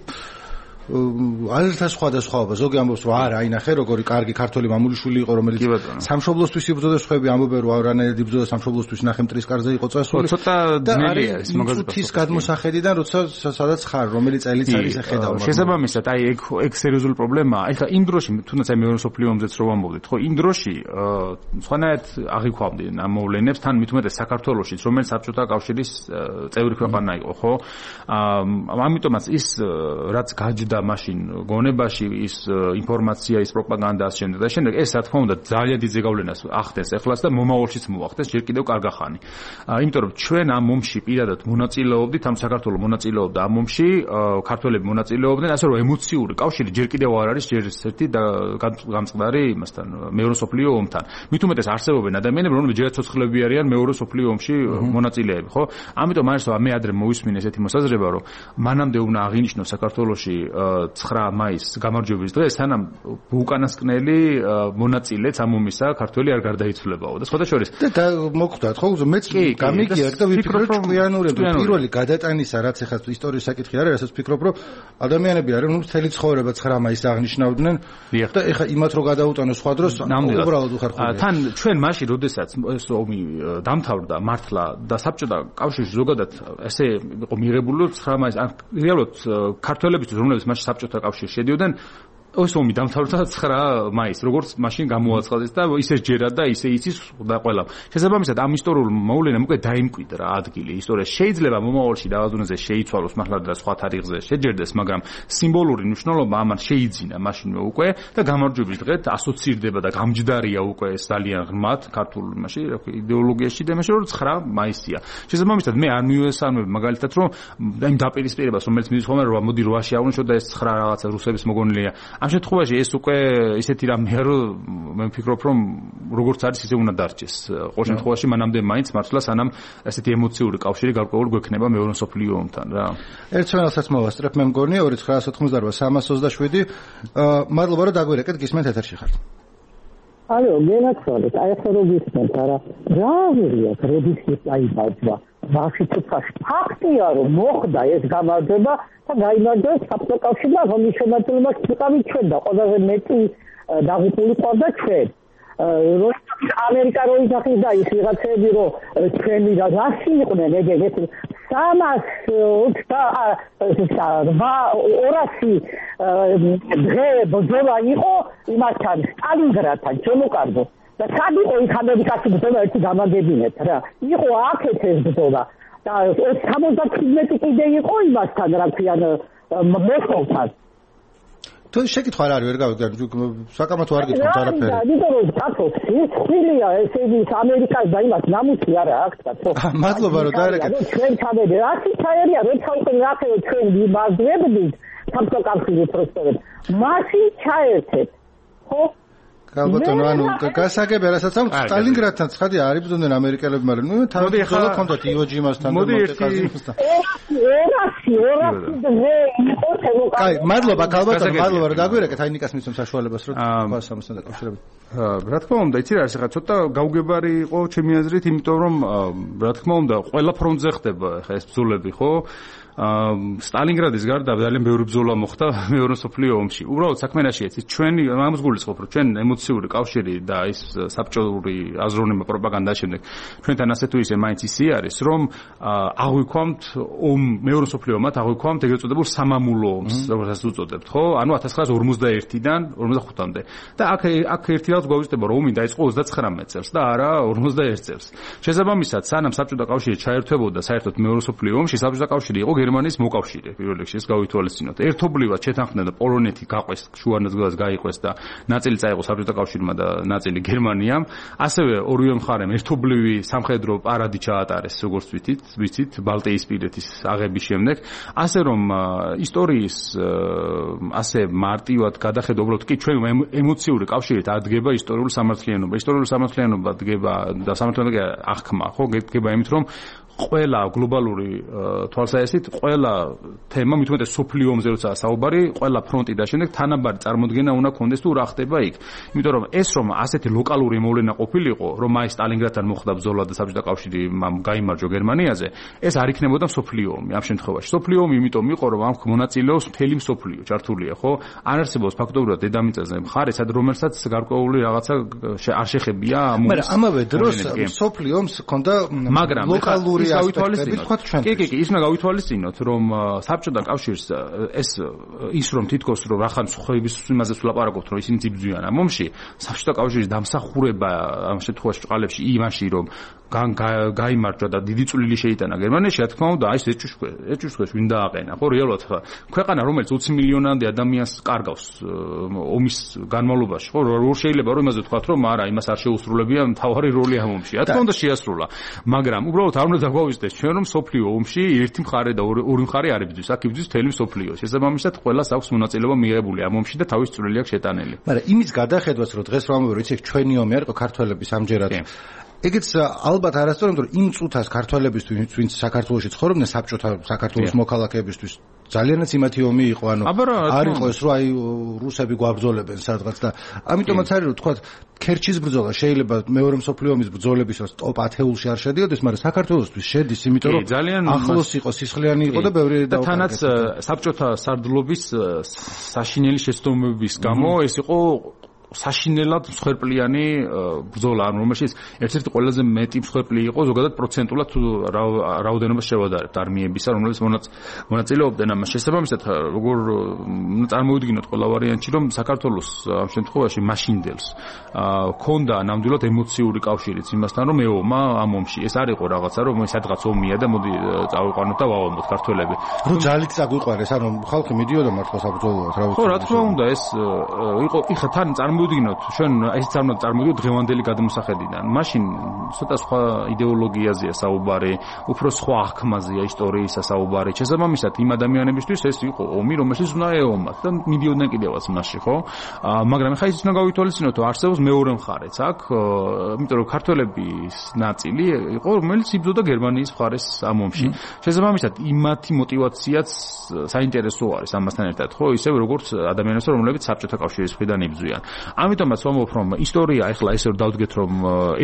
ალთა სხვადასხვაობა. ზოგი ამბობს რომ არა, აინახე როგორი კარგი ქართველი მამულიშვილი იყო, რომელიც სამშობლოსთვის იბრძოდა, სხვები ამბობენ რომ არანაირად იბრძოდა სამშობლოსთვის, ნახე მტრის კარზე იყო წასული. ცოტა ძნელია ეს მაგაზე. ის გადმოსახედიდან, როცა სადაც ხარ, რომელი წელიც არის ხედავ. შესაბამისად, აი ეგ ეგ სერიოზული პრობლემაა. ეხლა იმ დროში, თუნდაც აი მეორე მსოფლიო ომზეც რომ ამბობდით, ხო, იმ დროში სხვანაირად აღიქვამდნენ ამ მოვლენებს, თან მით უმეტეს საქართველოშიც, რომელიც საბჭოთა კავშირის წევრი ქვეყანა იყო, ხო? ამიტომაც ის რაც გაჯდა და მაშინ გონებაში ის ინფორმაცია, ის პროპაგანდა ასე შემდეგ და შემდეგ ეს რა თქმა უნდა ძალიან დიდ ზეგავლენას ახდენს ეხლაც და მომავალშიც მოახდენს ჯერ კიდევ კარგახანი. იმიტომ რომ ჩვენ ამ ომში პირადად მონაწილეობდით, ამ საქართველოს მონაწილეობდა ამ ომში, ქართველები მონაწილეობდნენ, ასე რომ ემოციური კავშირი ჯერ კიდევ არ არის ჯერ ერთი და გამწყდარი იმასთან, მეორე მსოფლიო ომთან. მით უმეტეს არსებობენ ადამიანები, რომლებიც ჯერ ცოცხლები არიან მეორე მსოფლიო ომში მონაწილეები, ხო? ამიტომ არის რომ მე ადრე მოვისმინე ესეთი მოსაზრება, რომ მანამდე უნდა აღინიშნოს საქართველოში ცხრა მაისს გამარჯვების დღე, სანამ უკანასკნელი მონაწილეც ამ ომისა ქართველი არ გარდაიცვლებაო და სხვათა შორის და მოგხვდათ ხო მეც გამიგია და ვიფიქრე ჭკვიანურები პირველი გადატანისა რაც ახლა ისტორიის საკითხი არის, რასაც ვფიქრობ რომ ადამიანები არიან ნუ მთელი ცხოვრება ცხრა მაისს აღნიშნავდნენ და ეხლა იმათ რო გადაუტანო სხვა დროს უბრალოდ უხერხულია. თან ჩვენ მაშინ როდესაც ეს ომი დამთავრდა მართლა და საბჭოთა კავშირში ზოგადად ესე იყო მიღებული ცხრა მაისს რეალურად ქართველებისთვის რომლებიც მაშინ საბჭოთა კავშირში შედიოდნენ ეს ომი დამთავრდა ცხრა მაისს, როგორც მაშინ გამოაცხადეს და ისე ჯერა და ისე იცის და ყველა. შესაბამისად ამ ისტორიულ მოვლენამ უკვე დაიმკვიდრა ადგილი ისტორიაში. შეიძლება მომავალში დავაზუნებზე შეიცვალოს მართლა და სხვა თარიღზე შეჯერდეს, მაგრამ სიმბოლური მნიშვნელობა ამან შეიძინა მაშინვე უკვე და გამარჯვების დღეთ ასოცირდება და გამჯდარია უკვე ეს ძალიან ღრმად ქართულ იმაში, რა ქვია, იდეოლოგიაში და იმაში, რომ ცხრა მაისია. შესაბამისად მე არ მივესალმებ მაგალითად, რომ იმ დაპირისპირებას, რომელიც მიდის ხოლმე, რომ მოდი რვაში აღვნიშნოთ და ეს ცხრა რაღაცა რუსების მოგონილია. ამ შემთხვევაში ეს უკვე ისეთი რამეა, რომ მე ვფიქრობ, რომ როგორც არის ისე უნდა დარჩეს. ყოველ შემთხვევაში მანამდე მაინც მართლა სანამ ესეთი ემოციური კავშირი გარკვეული გვექნება მეორე მსოფლიო ომთან რა. ერთ ცვენელსაც მოვასწრებ მე მგონია ორი ცხრაას ოთხმოცდაოთხ სამას ოცდაშვიდი. მადლობა რომ დაგვირეკეთ, გისმენთ ეთერში ხართ. ალო, გენაცვალეთ, აი ახლა რო გისმენთ, არა, რა ვერია, როდის დაიბადა. მაშინ თვითონ ფაქტია, რომ მოხდა ეს გამარჯვება და გაიმარჯვეს საბჭოთა კავშირმა, რომლის შემადგენლობაში ვიყავით ჩვენ და ყველაზე მეტი დაღუპული ყავდა ჩვენ. რომ ამერიკა რო იძახის და ის ვიღაცები რო ჩვენი და რაში იყვნენ ეგ სამას ოცდაოთხ ორასი დღე ბრძოლა იყო იმასთან სტალინგრადთან ჩამოკარდო და სად იყო იქ ამერიკაში ბრძოლა ერთი გამაგებინეთ რა იყო აქეთ ეს ბრძოლა და სამოცდათვრამეტი კიდე იყო იმასთან რა ქვიან მოსკოვთან თუ შეკითხვა არ არის ვერ გავიგე საკამათო არ გითხართ არაფერი. იმიტომ რომ კაცოს სილია ესე იგი ამერიკას და იმას ნამუსი არა აქვს კაცო. მადლობა რომ დაერეკეთ. ჩვენ ჩავედი რაში ჩაერია როცა უკვე ნახევ ჩვენ ვიმაზრებდით საბჭოთა კავშირის პროსპერეთ. მაშინ ჩაერთეთ. ხო? ალბათო ანუ გასაგები რასაც ამ სტალინგრადთან ცხადი არ იბრძოდნენ ამერიკელები, მაგრამ ნუ თავი ხოლო კონტაქტი იოჯიმასთან და მონტეკაზიმასთან. ორასი ორასი დღე იყო თემოკარდი. კაი, მადლობა ალბათო, მადლობა რომ დაგვირეკეთ აი ნიკას მისცემ საშუალებას რომ თქვას ამასთან დაკავშირებით. რა თქმა უნდა, იცი რა, ახლა ცოტა გაუგებარი იყო ჩემი აზრით, იმიტომ რომ რა თქმა უნდა, ყველა ფრონტზე ხდება ახლა ეს ბრძოლები, ხო? სტალინგრადის გარდა ძალიან ბევრი ბრძოლა მოხდა მეორე მსოფლიო ომში. უბრალოდ საქმე რაშია, იცი, ჩვენი ამას გულისხმობ, რომ ჩვენ ემოციური კავშირი და ის საბჭოური აზროვნება პროპაგანდა შემდეგ ჩვენთან ასე თუ ისე მაინც ისე არის, რომ აღვიქვამთ ომ მეორე მსოფლიო ომად აღვიქვამთ ეგრეთ წოდებულ სამამულო ომს, როგორც უწოდებთ, ხო? ანუ ათას ცხრაასი ორმოცდაერთიდან ორმოცდახუთამდე. და აქ აქ ერთი რაღაც გვაუწყდება, რომ ომი დაიწყო ოცდაცხრამეტ წელს და არა ორმოცდაერთ წელს. შესაბამისად, სანამ საბჭოთა კავშირი ჩაერთვებოდა საერთოდ მეორე მსოფლიო ომში, საბჭოთა კავშირი იყო გერმანიის მოკავშირე, პირველ რიგში ეს გავითვალისწინოთ. ერთობლივად შეთანხმდა და პოლონეთი გაყვეს, შუანაძღლას გაიყვეს და ნაწილი წაიღო საბჭოთა კავშირმა და ნაწილი გერმანიამ. ასევე ორივე მხარემ ერთობლივი სამხედრო პარადი ჩაატარეს, როგორც ვიცით, ვიცით, ბალტიისპირეთის აღების შემდეგ. ასე რომ ისტორიის ასე მარტივად გადახედო, უბრალოდ კი ჩვენ ემოციური კავშირით ადგება ისტორიული სამართლიანობა. ისტორიული სამართლიანობა დგება და სამართლიანობა აღქმა, ხო, დგება იმით, რომ ყველა გლობალური თვალსაჩინით ყველა თემა მით უმეტეს სოფლიო ომზე როცა საუბარი ყველა ფრონტი და შემდეგ თანაბარი წარმოდგენა უნდა კონდეს თუ რა ხდება იქ. იმიტომ რომ ეს რომ ასეთი ლოკალური მოვლენა ყოფილიყო, რომ აი სტალინგრადთან მოხდა ბრძოლა და საბჭოთა კავშირი გაიმარჯვა გერმანიაზე, ეს არ იქნებოდა სოფლიო ომი ამ შემთხვევაში. სოფლიო ომი იმიტომ იყო, რომ ამ მონაწილეობს მთელი მსოფლიო, ჩართულია, ხო? არ არსებობს ფაქტობრივად დედამიწაზე მხარე, სად რომელსაც გარკვეული რაღაცა არ შეხებია ამ ომის. მაგრამ ამავე დროს სოფლიო ომს ჰქონდა ლოკალური კი, კი, კი, ის უნდა გავითვალისწინოთ, რომ საბჭოთა კავშირს ეს ის რომ თითქოს რომ რახან ხოების იმაზე ვლაპარაკობთ, რომ ისინი იბრძვიან ამ ომში, საბჭოთა კავშირის დამსახურება ამ შემთხვევაში წყალებში იმაში, რომ გაიმარჯვა და დიდი წვლილი შეიტანა გერმანიაში, რა თქმა უნდა, აი ეს ეჭვშქვე, ეჭვშქვეს ვინ დააყენა, ხო, რეალურად ქვეყანა, რომელიც ოცი მილიონამდე ადამიანს კარგავს ომის განმავლობაში, ხო, რო შეიძლება რომ იმაზე ვთქვათ, რომ არა, იმას არ შეუსრულებია მთავარი როლი ამ ომში. რა თქმა უნდა შეასრულა, მაგრამ უბრალოდ არ უნდა დაგვაუწყდეს ჩვენ რომ სოფლიო ომში ერთი მხარე და ორი მხარე არ იბრძვის, აქ იბრძვის მთელი მსოფლიო. შესაბამისად, ყველას აქვს მონაწილეობა მიღებული ამ ომში და თავის წვლილი აქვს შეტანილი. მაგრამ იმის გადახედვაც, რომ დღეს რომ ამბობ, იცი, ჩვენი ომი არ იყო ქართველების ამჯერად. ეგეც ალბათ არასწორი, იმიტომ რომ იმ წუთას ქართველებისთვის, ვინც საქართველოში ცხოვრობდნენ, საბჭოთა საქართველოს მოქალაქეებისთვის ძალიანაც იმათი ომი იყო, ანუ არ იყო ეს, რომ აი რუსები გვაბრძოლებენ სადღაც და ამიტომაც არის, რომ თქვა ქერჩის ბრძოლა შეიძლება მეორე მსოფლიო ომის ბრძოლებისას ტოპ ათეულში არ შედიოდეს, მაგრამ საქართველოსთვის შედის, იმიტომ რომ ახლოს იყო, სისხლიანი იყო და ბევრი და თანაც საბჭოთა სარდლობის საშინელი შეცდომების გამო ეს იყო საშინელად მსხვერპლიანი ბრძოლა, რომელშიც ერთ-ერთი ყველაზე მეტი მსხვერპლი იყო ზოგადად პროცენტულად რაოდენობას შევადარებთ არმიებისა, რომლებიც მონაწილეობდნენ ამას. შესაბამისად, როგორ წარმოვიდგინოთ ყველა ვარიანტში, რომ საქართველოს ამ შემთხვევაში მაშინდელს ჰქონდა ნამდვილად ემოციური კავშირიც იმასთან, რომ ეომა ამ ომში. ეს არ იყო რაღაცა, რომ სადღაც ომია და მოდი წავიყვანოთ და ვაომოთ ქართველები. რომ ძალით წაგვიყვარეს, ანუ ხალხი მიდიოდა მართლა საბრძოლოად, რა ვიცი. ხო, რა თქმა უნდა, ეს იყო იხა თან წარმოვიდგინოთ, ჩვენ ესეც არ უნდა წარმოვიდგინოთ დღევანდელი გადმოსახედიდან. მაშინ ცოტა სხვა იდეოლოგიაზეა საუბარი, უფრო სხვა აღქმაზეა ისტორიისა საუბარი. შესაბამისად, იმ ადამიანებისთვის ეს იყო ომი, რომელშიც უნდა ეომათ და მიდიოდნენ კიდევაც მასში, ხო? მაგრამ ხა ის უნდა გავითვალისწინოთ, რომ არსებობს მეორე მხარეც აქ, იმიტომ რომ ქართველების ნაწილი იყო, რომელიც იბრძოდა გერმანიის მხარეს ამ ომში. შესაბამისად, იმათი мотиваციაც საინტერესო არის ამასთან ერთად, ხო? ისევ როგორც ადამიანებს, რომლებიც საბჭოთა კავშირის მხრიდან იბრძვიან. ამიტომაც ვამბობ, რომ ისტორია ეხლა ესე რომ დავდგეთ, რომ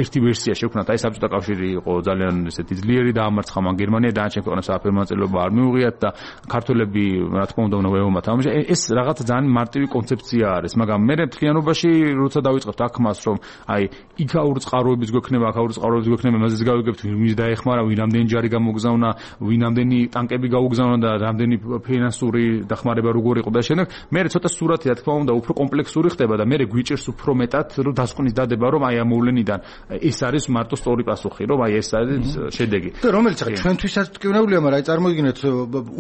ერთი ვერსია შექმნათ, აი საბჭოთა კავშირი იყო ძალიან ესეთი ძლიერი დაამარცხა მან გერმანია დანარჩენ ქვეყნებს საფრთხე მონაწილეობა არ მიუღიათ და ქართველები რა თქმა უნდა უნდა ეომათ ამაში. ეს რაღაც ძალიან მარტივი კონცეფცია არის, მაგრამ მე მთლიანობაში როცა დავიწყებთ აქ მას რომ აი იქ აურის წყაროების გვექნება, აქ აურის წყაროების გვექნება, მაზეც გავიგებთ ვინ დაეხმარა, ვინ ამდენი ჯარი გამოგზავნა, ვინ ამდენი ტანკები გაუგზავნა და რამდენი ფინანსური დახმარება როგორ იყო და შემდეგ მე ცოტა სურათი რა თქმა უნდა უფრო კომპლექსური ხდება და მე გვიჭირს უფრო მეტად რომ დასკვნის დადება რომ აი ამ მოვლენიდან ეს არის მარტო სწორი პასუხი, რომ აი ეს არის შედეგი. და რომელიც ახლა ჩვენთვისაც მტკივნეულია, მაგრამ აი წარმოიდგინეთ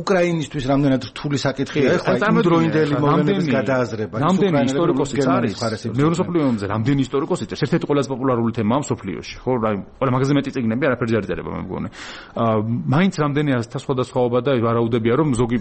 უკრაინისთვის რამდენად რთული საკითხია ახლა იმდროინდელი მოვლენების გადააზრება. რამდენი ისტორიკოსიც არის მეორე მსოფლიო ომზე, რამდენი ისტორიკოსი წერს, ერთ-ერთი ყველაზე პოპულარული თემაა მსოფლიოში, ხო? აი ყველა მაგაზე მეტი წიგნები არაფერი არ იწერება მე მგონი. აა მაინც რამდენი ასთა სხვადასხვაობა და ვარაუდებია რომ ზოგი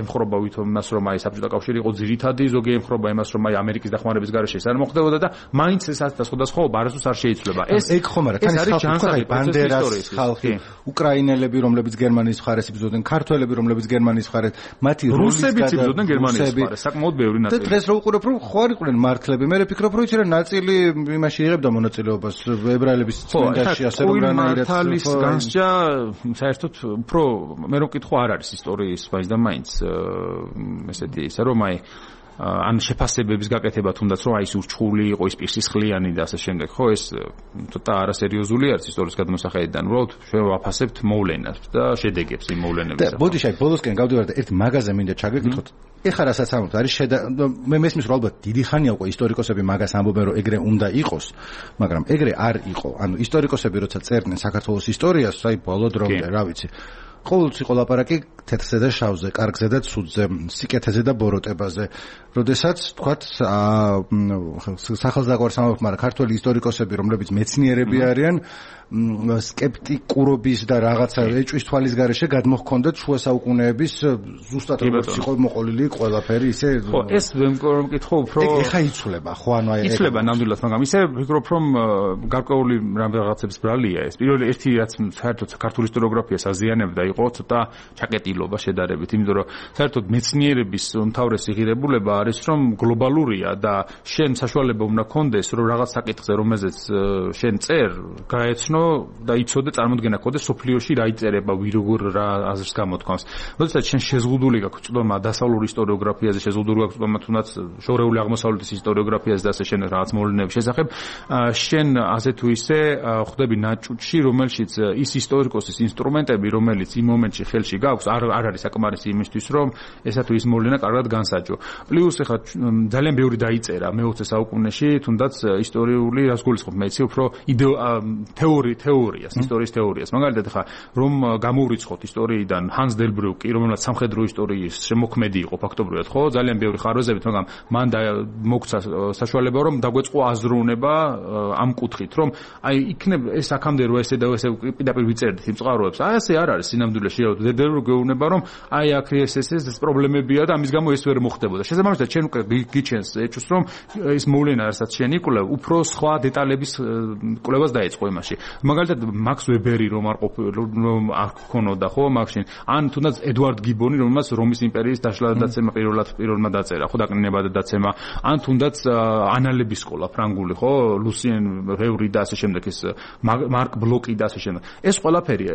ემხრობა ვითომ იმას რომ აი საბჭოთა კავშირი იყო ძირითადი, ზოგი ემხრობა იმას რომ აი ამერიკის დახმარების გარეშე ეს არ მოხდებოდა და მაინც ეს ასთა სხვადასხვაობა არასდროს არ შეიცვლება. ეს ეგ ხომ არა, თან ხალხი ბანდერას ხალხი, უკრაინელები რომლებიც გერმანიის მხარეს იბრძოდნენ, ქართველები რომლებიც გერმანიის მხარეს, მათი რუსებიც იბრძოდნენ გერმანიის მხარეს, საკმაოდ ბევრი ნაწილი. და დღეს რო უყურებ რომ ხო არ იყვნენ მართლები, მე ვფიქრობ რომ იცი რა ნაწილი იმაში იღებდა მონაწილეობას ებრაელების წმინდაში ასე რომ რანაირად მართლის განსჯა საერთოდ უფრო მე რო მკითხო არ არის ისტორიის მაინც და მაინც ესეთი ისე რომ აი ან შეფასებების გაკეთება თუნდაც რომ აი ის ურჩხული იყო, ის პირსისხლიანი და ასე შემდეგ, ხო, ეს ცოტა არასერიოზული არის ისტორიის გადმოსახედიდან. უბრალოდ ჩვენ ვაფასებთ მოვლენას და შედეგებს იმ მოვლენების. და ბოდიში აი ბოლოსკენ გავდივარ და ერთ მაგაზე მინდა ჩაგეკითხოთ. ეხლა რასაც ამბობთ, არის შედა მე მესმის რომ ალბათ დიდი ხანია უკვე ისტორიკოსები მაგას ამბობენ რომ ეგრე უნდა იყოს, მაგრამ ეგრე არ იყო. ანუ ისტორიკოსები როცა წერდნენ საქართველოს ისტორიას, აი ბოლო დრომდე, რა ვიცი. ყოველთვის იყო ლაპარაკი თეთრზე და შავზე, კარგზე და ცუდზე, სიკეთეზე და ბოროტებაზე. როდესაც თქვათ სახელსდაგვარს ამბობთ, მაგრამ ქართველი ისტორიკოსები, რომლებიც მეცნიერები არიან, სკეპტიკურობის და რაღაცა ეჭვის თვალის გარეშე გადმოჰქონდათ შუა საუკუნეების ზუსტად როგორც იყო მოყოლილი ყველაფერი ისე. ხო, ეს მეკითხო უფრო ეხა იცვლება, ხო, ანუ აი იცვლება ნამდვილად, მაგრამ ისე ვფიქრობ რომ გარკვეული რაღაცების ბრალია ეს. პირველი ერთი რაც საერთოდ ქართული ისტორიოგრაფიას აზიანებდა იყო ცოტა ჩაკეტილობა შედარებით, იმიტომ რომ საერთოდ მეცნიერების უმთავრესი ღირებულება არის რომ გლობალურია და შენ საშუალება უნდა გქონდეს რომ რაღაც საკითხზე რომელზეც შენ წერ გაეცნო და იცოდე წარმოდგენა გქონდეს სოფლიოში რა იწერება, ვი როგორ რა აზრს გამოთქვამს. როდესაც შენ შეზღუდული გაქვს წვდომა დასავლური ისტორიოგრაფიაზე, შეზღუდული გაქვს წვდომა თუნდაც შორეული აღმოსავლეთის ისტორიოგრაფიაზე და ასე შენ რაღაც მოვლენების შესახებ, შენ ასე თუ ისე ხვდები ნაჭუჭში, რომელშიც ის ისტორიკოსის ინსტრუმენტები, რომელიც იმ მომენტში ხელში გაქვს, არ არ არის საკმარისი იმისთვის, რომ ესა თუ ის მოვლენა კარგად განსაჯო. პლუს ეხლა ძალიან ბევრი დაიწერა მეოცე საუკუნეში, თუნდაც ისტორიული რას გულისხმობ, მე იცი უფრო თეორი თეორიას, ისტორიის თეორიას. მაგალითად ეხლა რომ გამოვრიცხოთ ისტორიიდან ჰანს დელბრუკი, რომელსაც სამხედრო ისტორიის შემოქმედი იყო ფაქტობრივად, ხო, ძალიან ბევრი ხარვეზებით, მაგრამ მან მოგცა საშუალება რომ დაგვეწყო აზროვნება ამ კუთხით, რომ აი იქნებ ეს აქამდე რო ესე და ესე პირდაპირ ვიწერდით იმ წყაროებს. აი ასე არ არის სინამდვილეში, დედერბურგი გეუბნება რომ აი აქ ეს ეს ეს პრობლემებია და ამის გამო ეს ვერ მოხდებოდა. შესაბამისად ჩვენ უკვე გიჩენს ეჭვს რომ ეს მოვლენა რასაც შენ იკვლევ, უფრო სხვა დეტალების კვლევას დაეწყო იმაში. მაგალითად მაქს ვებერი რომ არ ყოფილ რომ არ ქონოდა ხო მაშინ, ან თუნდაც ედვარდ გიბონი რომელსაც რომის იმპერიის დაშლა და დაცემა პირველად პირველმა დაწერა, ხო დაკნინება და დაცემა, ან თუნდაც ანალების სკოლა ფრანგული, ხო, ლუსიენ ვევრი და ასე შემდეგ, ეს მარკ ბლოკი და ასე შემდეგ. ეს ყველაფერი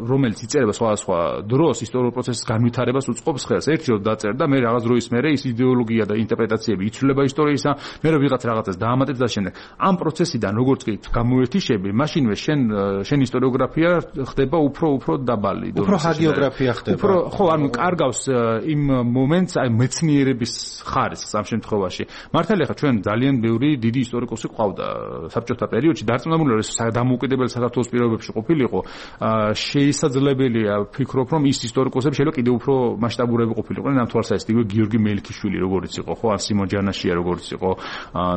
რომელიც იწერება სხვადასხვა დროს ისტორიულ პროცესის განვითარებას უწყობს ხელს. ერთი რომ დაწერდა და მე რაღაც დროის მერე ის იდეოლოგია და ინტერპრეტაციები იცვლება ისტორიისა, მე რომ ვიღაც რაღაცას დაამატებს და შემდეგ. ამ პროცესიდან როგორც კი გამოერთიშები, მაშინვე შენ შენ ისტორიოგრაფია ხდება უფრო უფრო დაბალი დონეზე. უფრო ჰაგიოგრაფია ხდება. უფრო ხო, ანუ კარგავს იმ მომენტს აი მეცნიერების ხარისხს ამ შემთხვევაში. მართალია ხა ჩვენ ძალიან ბევრი დიდი ისტორიკოსი ყავდა საბჭოთა პერიოდში, დარწმუნებული ვარ ეს დამოუკიდებელი საქართველოს პირობებში ყოფილიყო. შეისაძლებელია ვფიქრობ რომ ის ისტორიკოსები ეპოსები შეიძლება კიდევ უფრო მასშტაბურები ყოფილიყვნენ ამ თვალსაზრისით იგივე გიორგი მელიქიშვილი როგორიც იყო ხო ან სიმონ ჯანაშია როგორიც იყო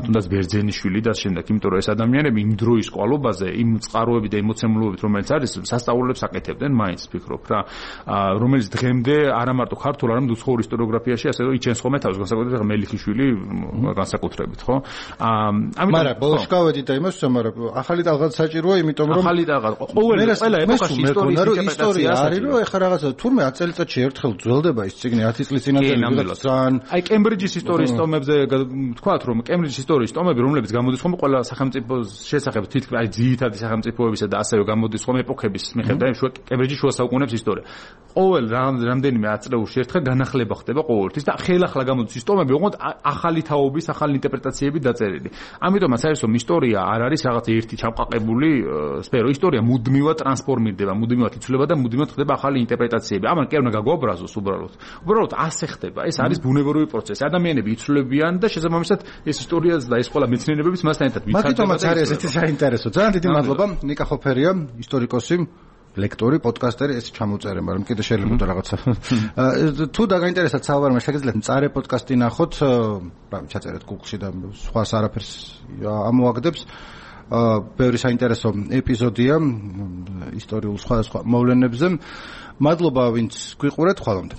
თუნდაც ბერძენიშვილი და შემდეგ იმიტომ რომ ეს ადამიანები იმ დროის ყვალობაზე იმ წყაროებით და ემოცემულობით რომელიც არის სასწაულებს აკეთებდნენ მაინც ფიქრობ რა რომელიც დღემდე არა მარტო ქართულ არამედ უცხოურ ისტორიოგრაფიაში ასე რომ იჩენს ხოლმე თავს განსაკუთრებით მელიქიშვილი განსაკუთრებით ხო ამიტომ მაგრამ ბოლოს გავედი და იმას მაგრამ ახალი ტალღაც საჭიროა იმიტომ რომ ახალი ტალღა ყოველ ყველა ეპოქაში ისტორიის ინტერპრეტაცია არის რომ ეხლა რაღაცა თურმე ათი წელიწადში ერთხელ ძველდება ის ციგნი ათი წლის წინათ ძალიან აი კემბრიჯის ისტორიის ტომებზე თქვათ რომ კემბრიჯის ისტორიის ტომები რომლებიც გამოდის ხოლმე ყველა სახელმწიფოს შესახებ თითქმის აი ძირითადი სახელმწიფოებისა და ასევე გამოდის ხოლმე ეპოქების მიხედვით აი კემბრიჯის შუა საუკუნეების ისტორია ყოველ რამდენიმე ათწლეულში ერთხელ განახლება ხდება ყოველთვის და ხელახლა გამოდის ის ტომები ოღონდ ახალი თაობის ახალი ინტერპრეტაციები დაწერილი ამიტომაც არის რომ ისტორია არ არის რაღაც ერთი ჩამყაყებული სფერო ისტორია მუდმივად ტრანსფორმირდება მუდმივად იცვლება და მუდმივად ხდება ახალი ინტერპრეტაციები ამან კი არ უნდა გაგვაბრაზოს უბრალოდ უბრალოდ ასე ხდება ეს არის ბუნებრივი პროცესი ადამიანები იცვლებიან და შესაბამისად ეს ისტორიაც და ეს ყველა მეცნიერებებიც მასთან ერთად ვიცარდება მაგიტომაც არის ესეთი საინტერესო ძალიან დიდი მადლობა ნიკა ხოფერია ისტორიკოსი ლექტორი პოდკასტერი ეს ჩამოწერე მაგრამ კიდე შეიძლება რაღაცა თუ დაგაინტერესებთ საუბარმა შეგიძლიათ მწარე პოდკასტი ნახოთ რა ჩაწერეთ Google-ში და სხვა არაფერს ამოაგდებს ბევრი საინტერესო ეპიზოდია ისტორიულ სხვადასხვა მოვლენებზე მადლობა ვინც გვიყურეთ ხვალამდე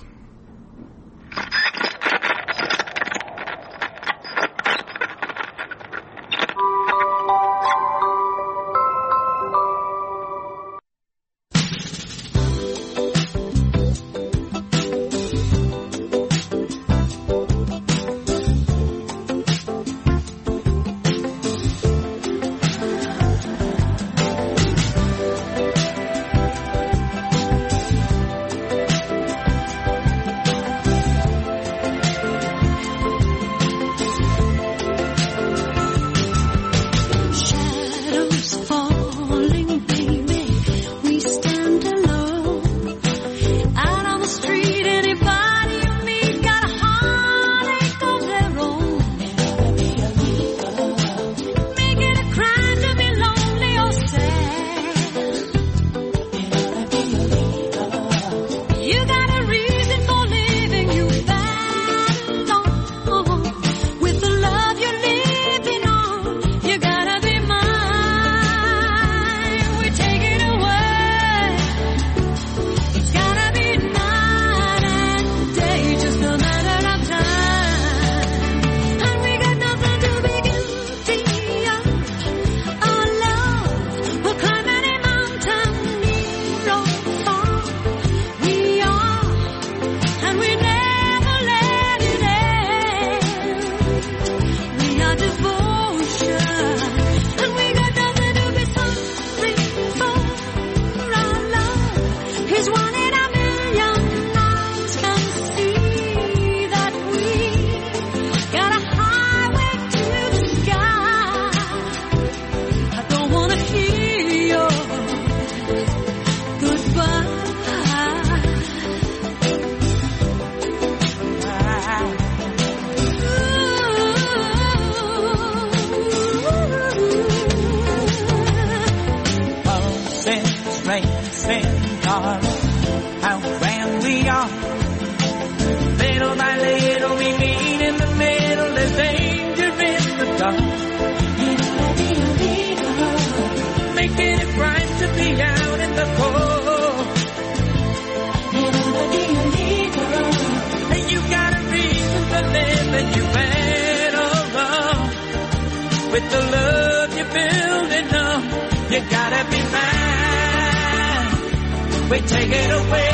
With the love you're building up, you gotta be mine. We take it away.